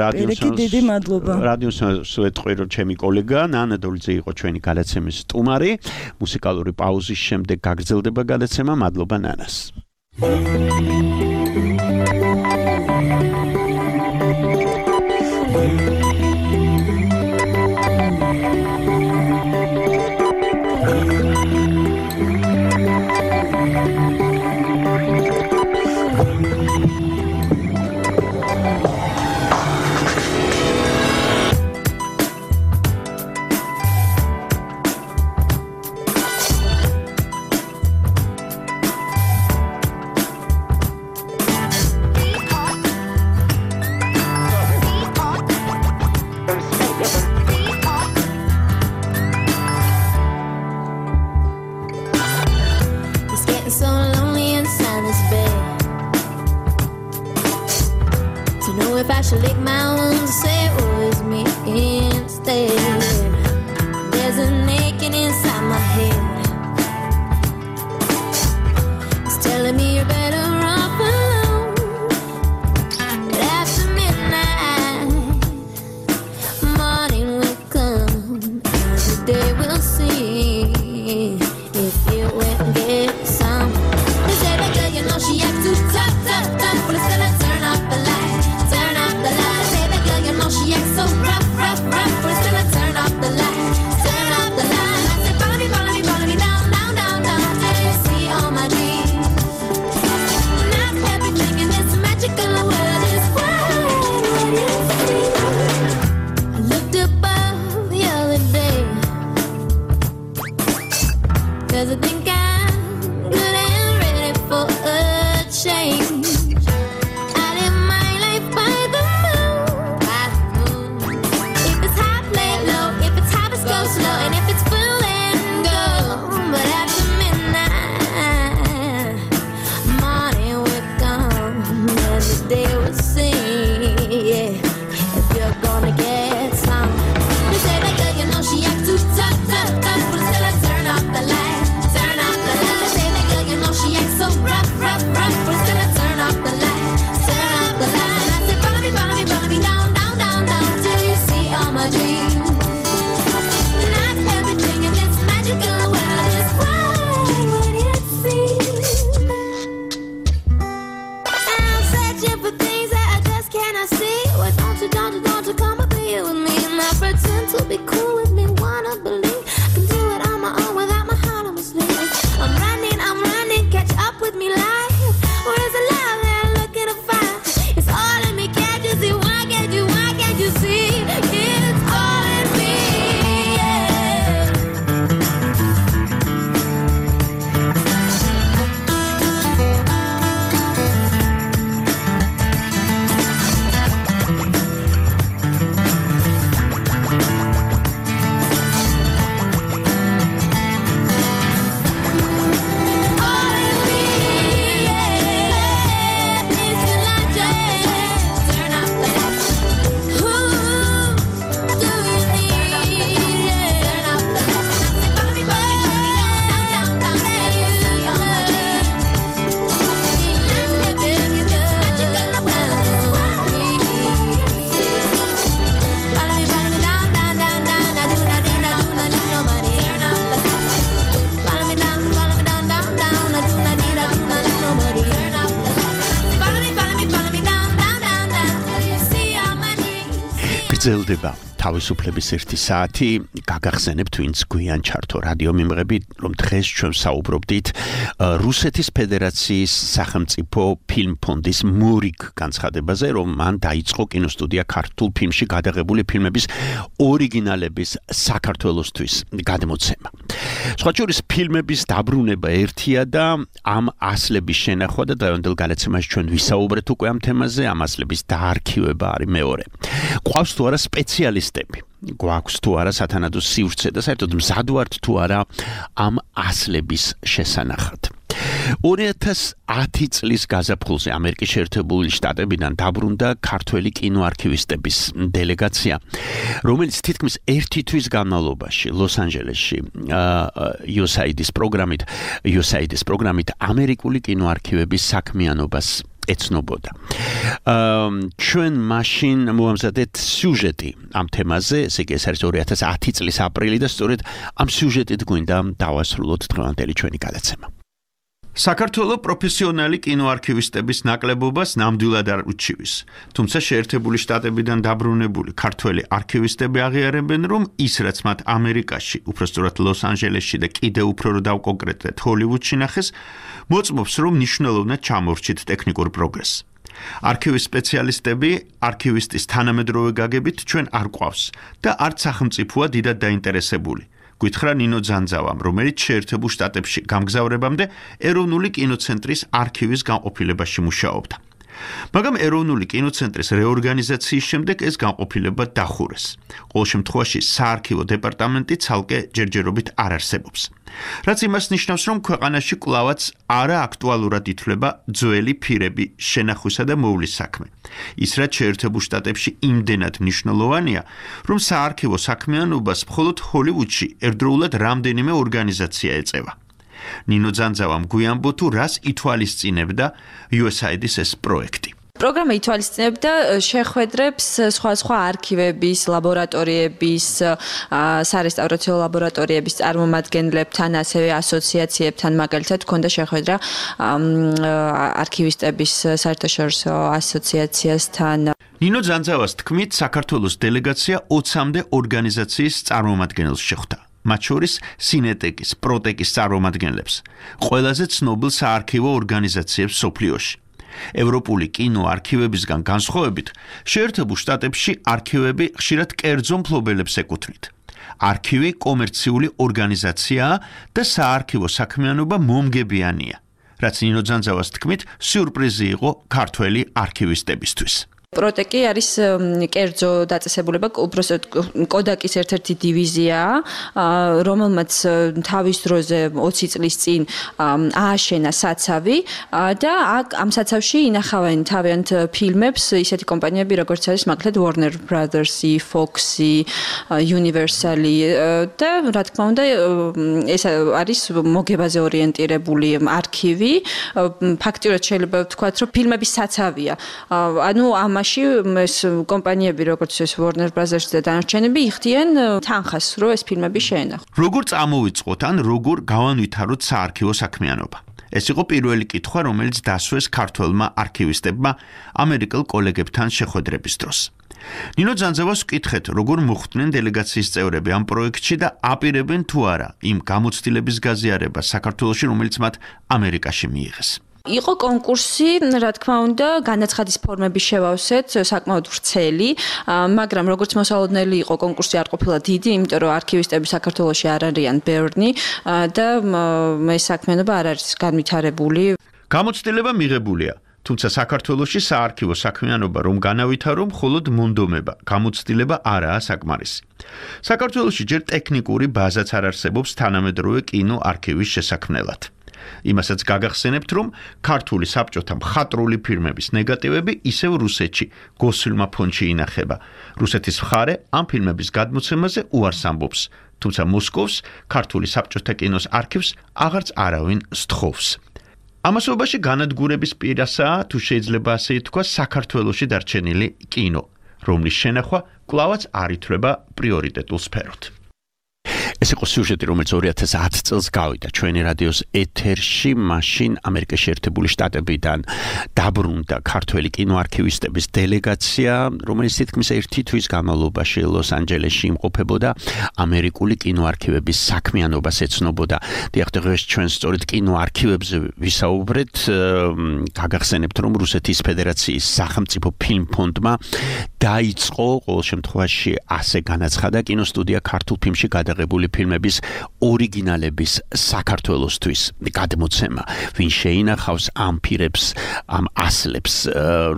რადიოს. დიდი მადლობა. რადიოს სვეტყვირო ჩემი კოლეგა ნანა დოლიძე იყო ჩვენი გადაცემის სტუმარი. მუსიკალური პაუზის შემდეგ გაგრძელდება გადაცემა. მადლობა ნანას. Everything გრძელდება თავისუფლების ერთი საათი. გაგახსენებთ ვინც გვიან ჩართო რადიო მიმღები, რომ დღეს ჩვენ საუბრობდით რუსეთის ფედერაციის სახელმწიფო ფილმ ფონდის მურიგ განცხადებაზე, რომ მან დაიწყო კინოსტუდია ქართულ ფილმში გადაღებული ფილმების ორიგინალების საქართველოსთვის გადმოცემა. სხვა შორის ფილმების დაბრუნება ერთია და ამ ასლების შენახვა და დღევანდელ გადაცემაში ჩვენ ვისაუბრეთ უკვე ამ თემაზე, ამ ასლების დაარქივება არის მეორე. გვყავს თუ არა სპეციალისტები, გვაქვს თუ არა სათანადო სივრცე და საერთოდ მზად ვართ თუ არა ამ ასლების შესანახად. ორი ათას ათი წლის გაზაფხულზე ამერიკის შეერთებული შტატებიდან დაბრუნდა ქართველი კინოარქივისტების დელეგაცია, რომელიც თითქმის ერთი თვის განმავლობაში ლოს-ანჯელესში იუ ეს έი დის პროგრამით იუ ეს έი დის პროგრამით ამერიკული კინოარქივების საქმიანობას ეცნობოდა. ჩვენ მაშინ მოამზადეთ სიუჟეტი ამ თემაზე, ესე იგი ეს არის ორი ათას ათი წლის აპრილი და სწორედ ამ სიუჟეტით გვინდა დავასრულოთ დღევანდელი ჩვენი გადაცემა. საქართველოს პროფესიონალი კინოარქივისტების ნაკლებობას ნამდვილად არ უჩივის, თუმცა შეერთებული შტატებიდან დაბრუნებული ქართველი არქივისტები აღიარებენ, რომ ის რაც მათ ამერიკაში, უпростоრად ლოს-ანჯელესში და კიდევ უფრო რო დავკონკრეტდეთ ჰოლივუდში ნახეს, მოწმობს, რომ მნიშვნელოვნად ჩამორჩით ტექნიკურ პროგრესს. არქივის სპეციალისტები არქივისტის თანამედროვე გაგებით ჩვენ არ ყავს და არც სახელმწიფოა დიდად დაინტერესებული. გითხრა ნინო ძანძავამ, რომელიც შეერთებულ შტატებში გამგზავრებამდე ეროვნული კინოცენტრის არქივის განყოფილებაში მუშაობდა. მაგრამ ეროვნული კინოცენტრის რეორგანიზაციის შემდეგ ეს განყოფილება დახურეს. ყოველ შემთხვევაში საარქივო დეპარტამენტი ცალკე ჯერჯერობით არ არსებობს. რაც იმას ნიშნავს, რომ ქვეყანაში კვლავაც არა აქტუალურად ითვლება ძველი ფირები შენახვისა და მოვლის საქმე. ის რაც შეერთებულ შტატებში იმდენად მნიშვნელოვანია, რომ საარქივო საქმიანობას მხოლოდ ჰოლივუდში ერთდროულად რამდენიმე ორგანიზაცია ეწევა. ნინო ძანძავამ გვიანბო თუ რას ითვალისწინებდა იუ ეს έი დის ეს პროექტი. პროგრამა ითვალისწინებდა შეხვედრებს სხვა სხვა არქივების, ლაბორატორიების, სარესტავრაციო ლაბორატორიების წარმომადგენლებთან, ასევე ასოციაციებთან, მაგალითად, ჰქონდა შეხვედრა არქივისტების საერთაშორისო ასოციაციასთან. ნინო ძანძავას თქმით, საქართველოს დელეგაცია ოცამდე ორგანიზაციის წარმომადგენელს შეხვდა. მათ შორის სინეტეკის, პროტეკის წარმომადგენლებს, ყველაზე ცნობილ საარქივო ორგანიზაციებს სოფლიოში. ევროპული კინოარქივებისგან განსხვავებით, შეერთებულ შტატებში არქივები ხშირად კერძო მფლობელებს ეკუთვნით. არქივი კომერციული ორგანიზაციაა და საარქივო საქმიანობა მომგებიანია, რაც ნინო ძანძავას თქმით, სიურპრიზი იყო ქართველი არქივისტებისთვის. პროტეკი არის კერძო დაწესებულება, უბრალოდ კოდაკის ერთ-ერთი დივიზიაა, რომელმაც თავის დროზე ოცი წლის წინ ააშენა საცავი და აქ ამ საცავში ინახავენ თავიანთ ფილმებს ისეთი კომპანიები, როგორც არის მაგალითად Warner Brothers-ი, Fox-ი, Universal-ი და რა თქმა უნდა ეს არის მოგებაზე ორიენტირებული არქივი. ფაქტიურად შეიძლება ვთქვათ, რომ ფილმების საცავია. ანუ ამ ეს კომპანიები, როგორც ეს Warner Brothers და დანარჩენები იხდიან თანხას, რომ ეს ფილმები შეენახონ. როგორ წამოვიწყოთ ან როგორ გავანვითაროთ საარქივო საქმიანობა? ეს იყო პირველი კითხვა, რომელიც დასვეს ქართველმა არქივისტებმა ამერიკელ კოლეგებთან შეხვედრების დროს. ნინო ძანძავას ვკითხეთ, როგორ მოხვდნენ დელეგაციის წევრები ამ პროექტში და აპირებენ თუ არა იმ გამოცდილების გაზიარებას საქართველოში, რომელიც მათ ამერიკაში მიიღეს. იყო კონკურსი, რა თქმა უნდა, განაცხადის ფორმები შევავსეთ, საკმაოდ ვრცელი, მაგრამ როგორც მოსალოდნელი იყო, კონკურსი არ ყოფილა დიდი, იმიტომ რომ არქივისტები საქართველოში არ არიან ბევრნი და ეს საქმიანობა არ არის განვითარებული. გამოცდილება მიღებულია, თუმცა საქართველოში საარქივო საქმიანობა რომ განავითარო, მხოლოდ მონდომება, გამოცდილება არაა საკმარისი. საქართველოში ჯერ ტექნიკური ბაზაც არ არსებობს თანამედროვე კინოარქივის შესაქმნელად. იმასაც გაგახსენებთ, რომ ქართული საბჭოთა მხატვრული ფილმების ნეგატივები ისევ რუსეთში, გოსილმა ფონდში ინახება. რუსეთის მხარე ამ ფილმების გადმოცემაზე უარს ამბობს, თუმცა მოსკოვს ქართული საბჭოთა კინოს არქივს აღარც არავინ სთხოვს. ამასობაში განადგურების პირასაა, თუ შეიძლება ასე ითქვას, საქართველოში დარჩენილი კინო, რომლის შენახვა კვლავაც არ ითვლება პრიორიტეტულ სფეროდ. ეს იყო სიუჟეტი, რომელიც ორი ათას ათი წელს გავიდა ჩვენი რადიოს ეთერში, მაშინ ამერიკის შეერთებული შტატებიდან დაბრუნდა ქართველი კინოარქივისტების დელეგაცია, რომელიც თითქმის ერთი თვის განმავლობაში ლოს-ანჯელესში იმყოფებოდა, ამერიკული კინოარქივების საქმიანობას ეცნობოდა. დიახ, დღეს ჩვენ სწორედ კინოარქივებზე ვისაუბრეთ, გაგახსენებთ, რომ რუსეთის ფედერაციის სახელმწიფო ფილმფონდმა დაიწყო ყოველ შემთხვევაში ასე განაცხადა კინოსტუდია ქართულ ფილმში გადაღებული ფილმების ორიგინალების საქართველოსთვის გადმოცემა. ვინ შეინახავს ამ პირებს, ამ ასლებს,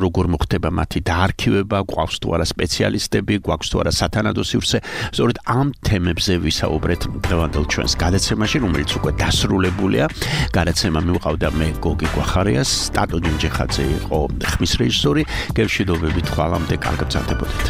როგორ მოხდება მათი დაარქივება, გვაქვს თუ არა სპეციალისტები, გვაქვს თუ არა სათანადო სივრცე. სწორედ ამ თემებზე ვისაუბრეთ დღევანდელ ჩვენს გადაცემაში, რომელიც უკვე დასრულებულია. გადაცემა მივყავდა მე გოგი გვახარიას, სტატო ჯინჯიხაძე იყო ხმის რეჟისორი. გევშვიდობებით, ხვალამდე კარგად გრძელდებოდეთ.